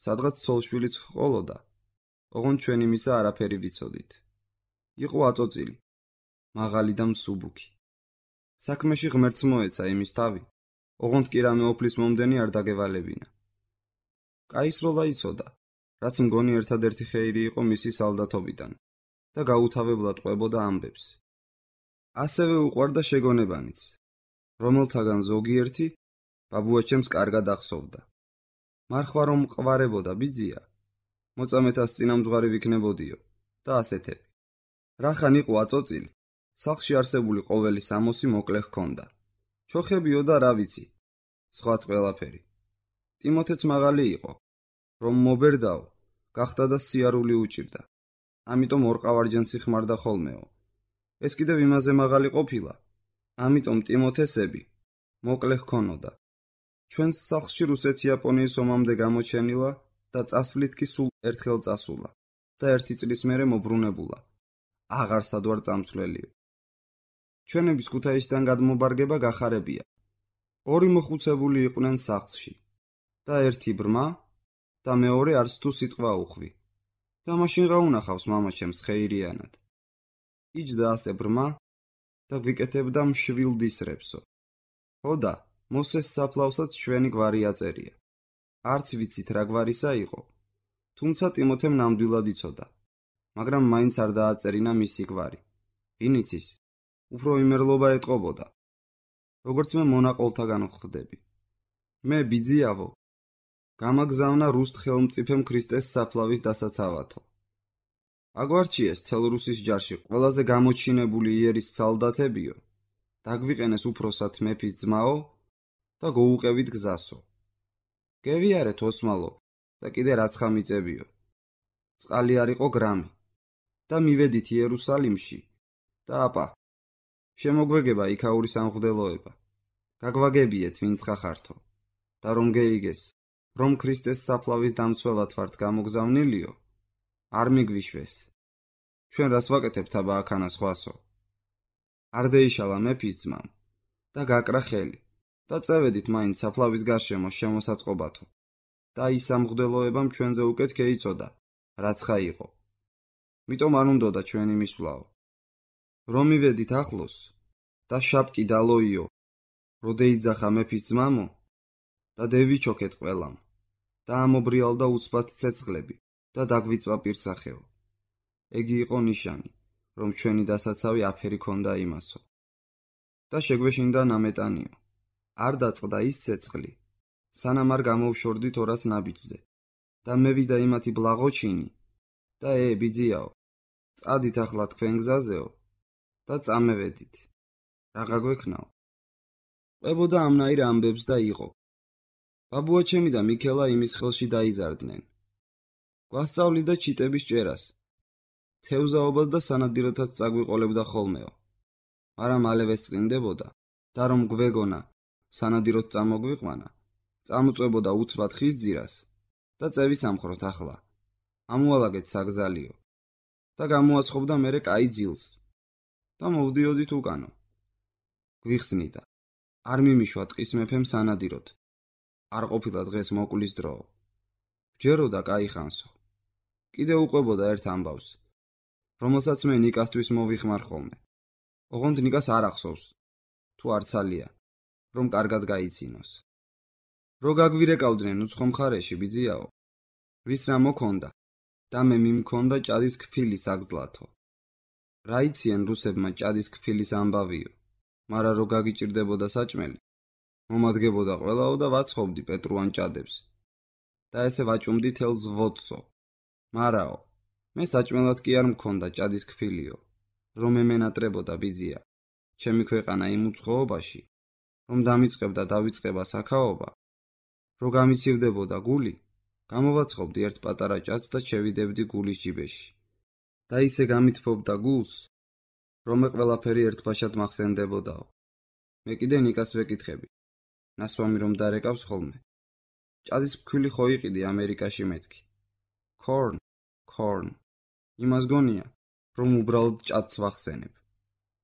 სადღაც ცოლშვილიც ჰყოლოდა, ოღონდ ჩვენ იმისა არაფერი ვიცოდით. იყო აწოწილი, მაღალი და მსუბუქი. საქმეში ღმერთს მოეცა იმის თავი, ოღონდ კი რამე ოფლის მომდენი არ დაგევალებინა. კაისროლა იცოდა, რაც მგონი ერთადერთი ხეირი იყო მისი სალდათობიდან და გაუთავებლად ყვებოდა ამბებს. ასევე უყვარდა შეგონებანიც, რომელთაგან ზოგიერთი ბაბუაჩემს კარგად ახსოვდა. მარხვა რომ მყვარებოდა ბიძია, მოწამეთას წინამძღვარი ვიქნებოდიო და ასეთები. რახან იყო აწოწილი, სახლში არსებული ყოველი სამოსი მოკლე ჰქონდა. ჩოხებიო და რა ვიცი, სხვაც ყველაფერი. ტიმოთეც მაღალი იყო, რომ მობერდაო, გახდა და სიარული უჭირდა. ამიტომ ორყავარჯენ სიხმარდა ხოლმეო. ეს კიდევ იმაზე მაღალი ყოფილა, ამიტომ ტიმოთესები მოკლე ჰქონოდა. ჩვენს სახლში რუსეთ-იაპონიის ომამდე გამოჩენილა და წასვლით კი სულ ერთხელ წასულა და ერთი წლის მერე მობრუნებულა. აღარ სადვარ წამსვლელიო. ჩვენების ქუთაისიდან გადმობარგება გახარებია. ორი მოხუცებული იყვნენ სახლში და ერთი ბრმა და მეორე არც თუ სიტყვა უხვი. და მაშინ გაუნახავს მამაჩემს ხეირიანად. იჯდა ასე ბრმა და გვიკეთებდა მშვილ დისრებსო. ხოდა, მოსეს საფლავსაც ჩვენი გვარი აწერია. არც ვიცით რა გვარისა იყო, თუმცა ტიმოთემ ნამდვილად იცოდა, მაგრამ მაინც არ დააწერინა მისი გვარი. ვინ იცის, უფრო იმერლობა ეტყობოდა. როგორც მე მონაყოლთაგან ვხვდები. მე ბიძიავო, გამაგზავნა რუსთ ხელმწიფემ ქრისტეს საფლავის დასაცავათო. აგვარჩიეს თელ რუსის ჯარში ყველაზე გამოჩინებული იერის სალდათებიო, დაგვიყენეს უფროსად მეფის ძმაო და გოუყევით გზასო. გევიარეთ ოსმალო და კიდე რაცხა მიწებიო. წყალი არ იყო გრამი და მივედით იერუსალიმში და აპა, შემოგვეგება იქაური სამღვდელოება. გაგვაგებიეთ ვინც ხახართო და რომ გეიგეს, რომ ქრისტეს საფლავის დამცველად ვართ გამოგზავნილიო, არ მიგვიშვეს. ჩვენ რას ვაკეთებთ აბა აქანა სხვასო? არ დაიშალა მეფის ძმამ და გაკრა ხელი და წევედით მაინც საფლავის გარშემო შემოსაწყობათო და ის სამღვდელოებამ ჩვენზე უკეთ ქეიწოდა, რაც ხა იყო. მიტომ არ უნდოდა ჩვენი მისვლაო. რომ მივედით ახლოს და შაპკი დალოიო, როდეიძახა მეფის ძმამო და დევიჩოქეთ ყველამ და ამობრიალდა უცბად ცეცხლები და დაგვიწვა პირსახეო. ეგი იყო ნიშანი, რომ ჩვენი დასაცავი აფერი ქონდა იმასო. და შეგვეშინდა ნამეტანიო. არ დაწყდა ის ცეცხლი, სანამ არ გამოვშორდით ორას ნაბიჯზე და მევიდა იმათი ბლაღოჩინი და ე ბიძიაო, წადით ახლა თქვენ გზაზეო და წამევედით. რაღა გვექნაო? ყვებოდა ამნაირ ამბებს და იყო. ბაბუა ჩემი და მიქელა იმის ხელში დაიზარდნენ. გვასწავლიდა ჩიტების ჭერას, თევზაობას და სანადიროთაც წაგვიყოლებდა ხოლმეო. მაგრამ მალევე სწრინდებოდა და რომ გვეგონა სანადიროთ წამოგვიყვანა, წამოწვებოდა უცბად ხის ძირას და წევისამხროთ ახლა. ამუალაგეთ საგზალიო და გამოაცხობდა მერე კაი ძილს და მოვდიოდით უკანო. გვიხსნიდა. არ მიმიშვა ტყის მეფემ სანადიროთ. არ ყოფილა დღეს მოკლის დროო. ჯეროდა კაი ხანსო. კიდე უყვებოდა ერთ ამბავს, რომელსაც მე ნიკასთვის მოვიხმარ ხოლმე. ოღონდ ნიკას არ ახსოვს, თუ არცალია, რომ კარგად გაიცინოს. რო გაგვირეკავდნენ უცხო მხარეში ბიძიაო, ვის რა მოქონდა და მე მიმქონდა ჭადის ქფილის აგზლათო. რა იციან რუსებმა ჭადის ქფილის ამბავიო, მარა რო გაგიჭირდებოდა საჭმელი, მომადგებოდა ყველაო და ვაცხობდი პეტრუან ჭადებს და ესე ვაჭუმდი თელს ვოცსო. მარაო, მე საჭმელად კი არ მქონდა ჭადის ქფილიო, რომ ემენატრებოდა ბიძია, ჩემი ქვეყანა იმ უცხოობაში, რომ დამიწყებდა დავიწყება საქაობა, რო გამიცივდებოდა გული, გამოვაცხობდი ერთ პატარა ჭადს და შევიდებდი გულის ჯიბეში. და ისე გამithფობდა გულს, რომ მე ყველაფერი ერთბაშად მახსენდებოდაო. მე კიდე ნიკას ვეკითხები, ნასვამი რომ დარეკავს ხოლმე. ჭადის ფქვილი ხო იყიდი ამერიკაში მეთქი. Corn, corn. იმას გონია, რომ უბრალოდ ჭადს ვახსენებ.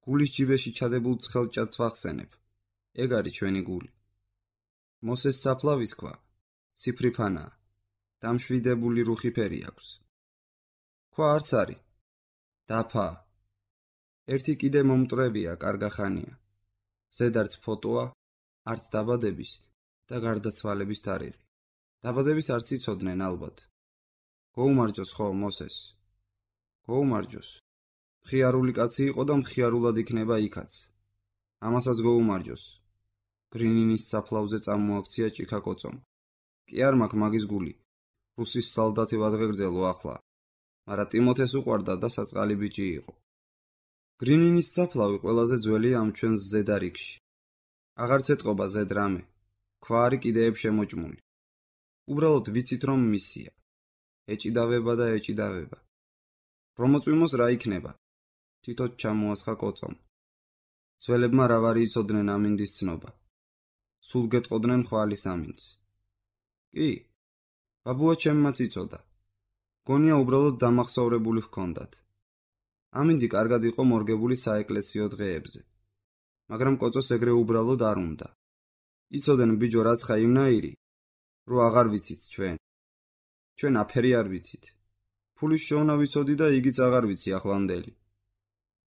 გულის ჯიბეში ჩადებულ ცხელ ჭადს ვახსენებ. ეგ არის ჩვენი გული. მოსეს საფლავის ქვა, ციფრიფანაა, დამშვიდებული რუხი ფერი აქვს. ქვა არც არის, დაფაა. ერთი კიდე მომტრევია, კარგახანია. ზედ არც ფოტოა, არც დაბადების და გარდაცვალების თარიღი. დაბადების არც იცოდნენ ალბათ. გოუმარჯოს ხო მოსეს. გოუმარჯოს. მხიარული კაცი იყო და მხიარულად იქნება იქაც. ამასაც გოუმარჯოს. გრინინის საფლავზე წამოაქცია ჭიქა კოწომ. კი არ მაქვს მაგის გული. რუსის სალდათი ვადღეგრძელო ახლა. მარა ტიმოთეს უყვარდა და საწყალი ბიჭი იყო. გრინინის საფლავი ყველაზე ძველია ამ ჩვენს ზედარიგში. აღარც ეტყობა ზედ რამე. ქვა არის კიდეებ შემოჭმული. უბრალოდ ვიცით რომ მისია. ეჭიდავება და ეჭიდავება. რომოწვიმოს რა იქნება? თითოდ ჩამოასხა კოწომ. ძველებმა რა ვარი იცოდნენ ამინდის ცნობა. სულ გეტყოდნენ ხვალის ამინდს. კი, ბაბუა ჩემმაც იცოდა. გონია უბრალოდ დამახსოვრებული ჰქონდათ. ამინდი კარგად იყო მორგებული საეკლესიო დღეებზე. მაგრამ კოწოს ეგრე უბრალოდ არ უნდა. იცოდნენ ბიჯო რაც ხა იმნაირი, რო აღარ ვიცით ჩვენ. ჩვენ აფერი არ ვიცით. ფულის შოვნა ვიცოდი და იგიც აღარ ვიცი ახლანდელი.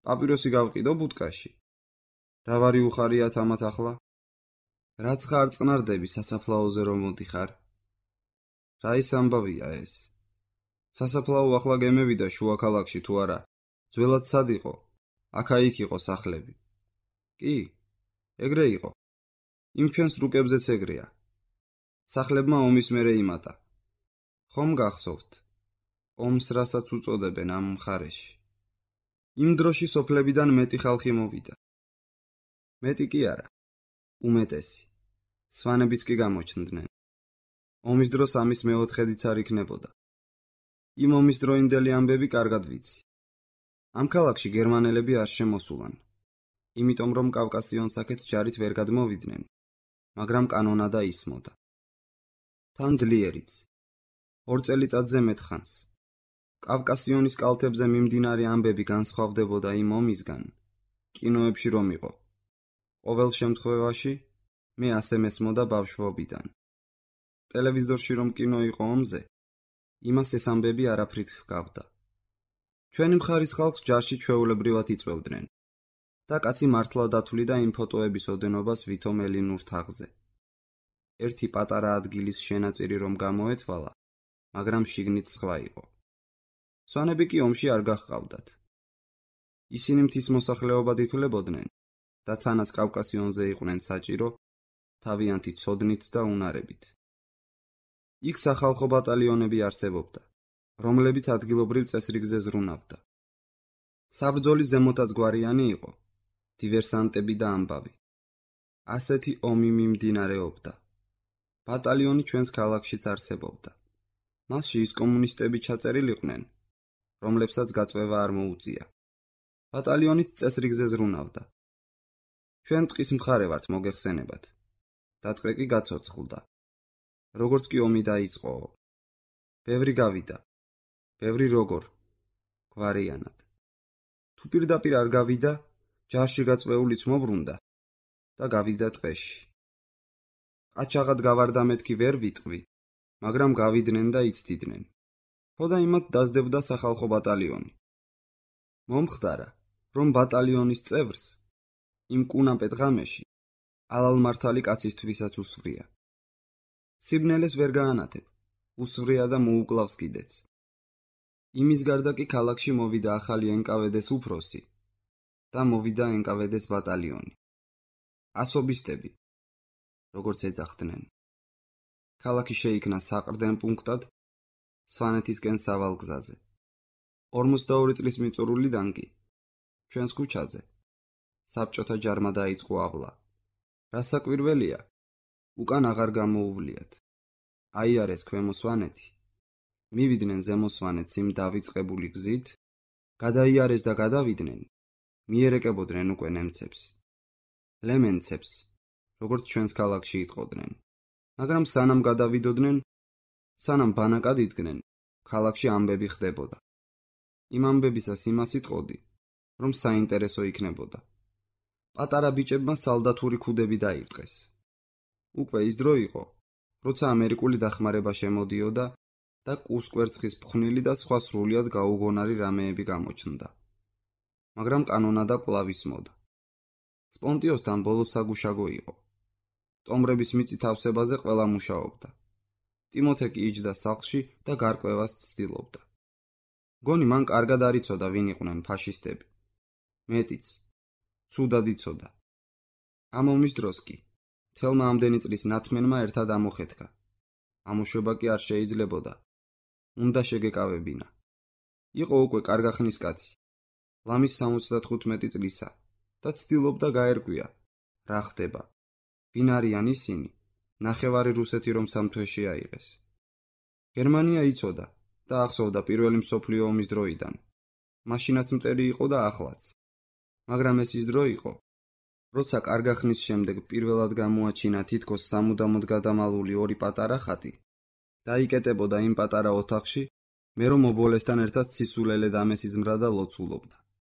პაპიროსი გავყიდო ბუტკაში. რა ვარი უხარიათ ამათ ახლა? რაც ხარ წნარდები სასაფლაოზე რომ მოდიხარ? რა ის ამბავია ეს? სასაფლაო ახლა გემევიდა შუა ქალაქში თუ არა? ძველად სად იყო? აქა-იქ იყო სახლები. კი, ეგრე იყო. იმ ჩვენს რუკებზეც ეგრეა. სახლებმა ომის მერე იმატა. ხომ გახსოვთ? ომს რასაც უწოდებენ ამ მხარეში. იმ დროში სოფლებიდან მეტი ხალხი მოვიდა. მეტი კი არა, უმეტესი. სვანებიც კი გამოჩნდნენ. ომის დროს ამის მეოთხედიც არ იქნებოდა. იმ ომის დროინდელი ამბები კარგად ვიცი. ამ ქალაქში გერმანელები არ შემოსულან. იმიტომ რომ კავკასიონსაკეთს ჯარით ვერ გადმოვიდნენ, მაგრამ კანონადა ისმოდა. თან ძლიერიც. ორ წელიწადზე მეტ ხანს. კავკასიონის კალთებზე მიმდინარე ამბები განსხვავდებოდა იმ ომისგან, კინოებში რომ იყო. ყოველ შემთხვევაში მე ასე მესმოდა ბავშვობიდან. ტელევიზორში რომ კინო იყო ომზე, იმას ეს ამბები არაფრით ჰგავდა. ჩვენი მხარის ხალხს ჯარში ჩვეულებრივად იწვევდნენ და კაცი მართლა დათვლიდა იმ ფოტოების ოდენობას ვითომ ელინურ თაღზე. ერთი პატარა ადგილის შენაწირი რომ გამოეთვალა, მაგრამ შიგნით სხვა იყო. სვანები კი ომში არ გაჰყავდათ. ისინი მთის მოსახლეობად ითვლებოდნენ და თანაც კავკასიონზე იყვნენ საჭირო, თავიანთი ცოდნით და უნარებით. იქ სახალხო ბატალიონები არსებობდა, რომლებიც ადგილობრივ წესრიგზე ზრუნავდა. საბრძოლის ზემოთაც გვარიანი იყო, დივერსანტები და ამბავი. ასეთი ომი მიმდინარეობდა. ბატალიონი ჩვენს ქალაქშიც არსებობდა. მასში ის კომუნისტები ჩაწერილიყვნენ, რომლებსაც გაწვევა არ მოუწია. ბატალიონით წესრიგზე ზრუნავდა. ჩვენ ტყის მხარე ვართ მოგეხსენებათ. დატყვე კი გაცოცხლდა. როგორც კი ომი დაიწყო, ბევრი გავიდა. ბევრი როგორ გვარიანად. თუ პირდაპირ არ გავიდა, ჯარში გაწვეულიც მობრუნდა და გავიდა ტყეში. ყაჩაღად გავარდა მეთქი ვერ ვიტყვი, მაგრამ გავიდნენ და იცდიდნენ. ხოდა იმათ დაზდებდა სახალხო ბატალიონი. მომხდარა, რომ ბატალიონის წევრს იმ კუნაპეთ ღამეში ალალმართალი კაცისთვისაც უსვრია. სიბნელეს ვერ გაანათებ, უსვრია და მოუკლავს კიდეც. იმის გარდა კი ქალაქში მოვიდა ახალი ენ კა ვე დე-ს უფროსი და მოვიდა ენ კა ვე დე-ს ბატალიონი. ასობისტები, როგორც ეძახდნენ. ქალაქი შეიქმნა საყრდენ პუნქტად სვანეთისკენ სავალ გზაზე. ორმოცდაორი წლის მიწურულიდან კი ჩვენს ქუჩაზე საბჭოთა ჯარმა დაიწყო აბლა. რასაკვირველია, უკან აღარ გამოუვლიათ. აიარეს ქვემო სვანეთი, მივიდნენ ზემო სვანეთს იმ დავიწყებული გზით, გადაიარეს და გადავიდნენ, მიერეკებოდნენ უკვე ნემცებს. ლემენცებს, როგორც ჩვენს ქალაქში იტყოდნენ. მაგრამ სანამ გადავიდოდნენ, სანამ ბანაკად იდგნენ, ქალაქში ამბები ხდებოდა. იმ ამბებისას იმას იტყოდი, რომ საინტერესო იქნებოდა. პატარა ბიჭებმა სალდათური ქუდები დაირტყეს. უკვე ის დრო იყო, როცა ამერიკული დახმარება შემოდიოდა და კუსკვერცხის ფხვნილი და სხვა სრულიად გაუგონარი რამეები გამოჩნდა. მაგრამ კანონადა კვლავ ისმოდა. სპონტიოსთან ბოლოს საგუშაგო იყო. ტომრების მიწით ავსებაზე ყველა მუშაობდა. ტიმოთე კი იჯდა სახლში და გარკვევას ცდილობდა. გონი მან კარგად არ იცოდა ვინ იყვნენ ფაშისტები. მეტიც, ცუდად იცოდა. ამ ომის დროს კი მთელმა ამდენი წლის ნათმენმა ერთად ამოხეთქა. ამოშვება კი არ შეიძლებოდა. უნდა შეგეკავებინა. იყო უკვე კარგა ხნის კაცი. ლამის სამოცდათხუთმეტი წლისა და ცდილობდა გაერკვია, რა ხდება. ვინ არიან ისინი? ნახევარი რუსეთი რომ სამთვეში აიღეს. გერმანია იცოდა და ახსოვდა პირველი მსოფლიო ომის დროიდან. მაშინაც მტერი იყო და ახლაც. მაგრამ ეს ის დრო იყო, როცა კარგა ხნის შემდეგ პირველად გამოაჩინა თითქოს სამუდამოდ გადამალული ორი პატარა ხატი. დაიკეტებოდა იმ პატარა ოთახში, მე რომ ობოლესთან ერთად სისულელე დამესიზმრა და ლოცულობდა.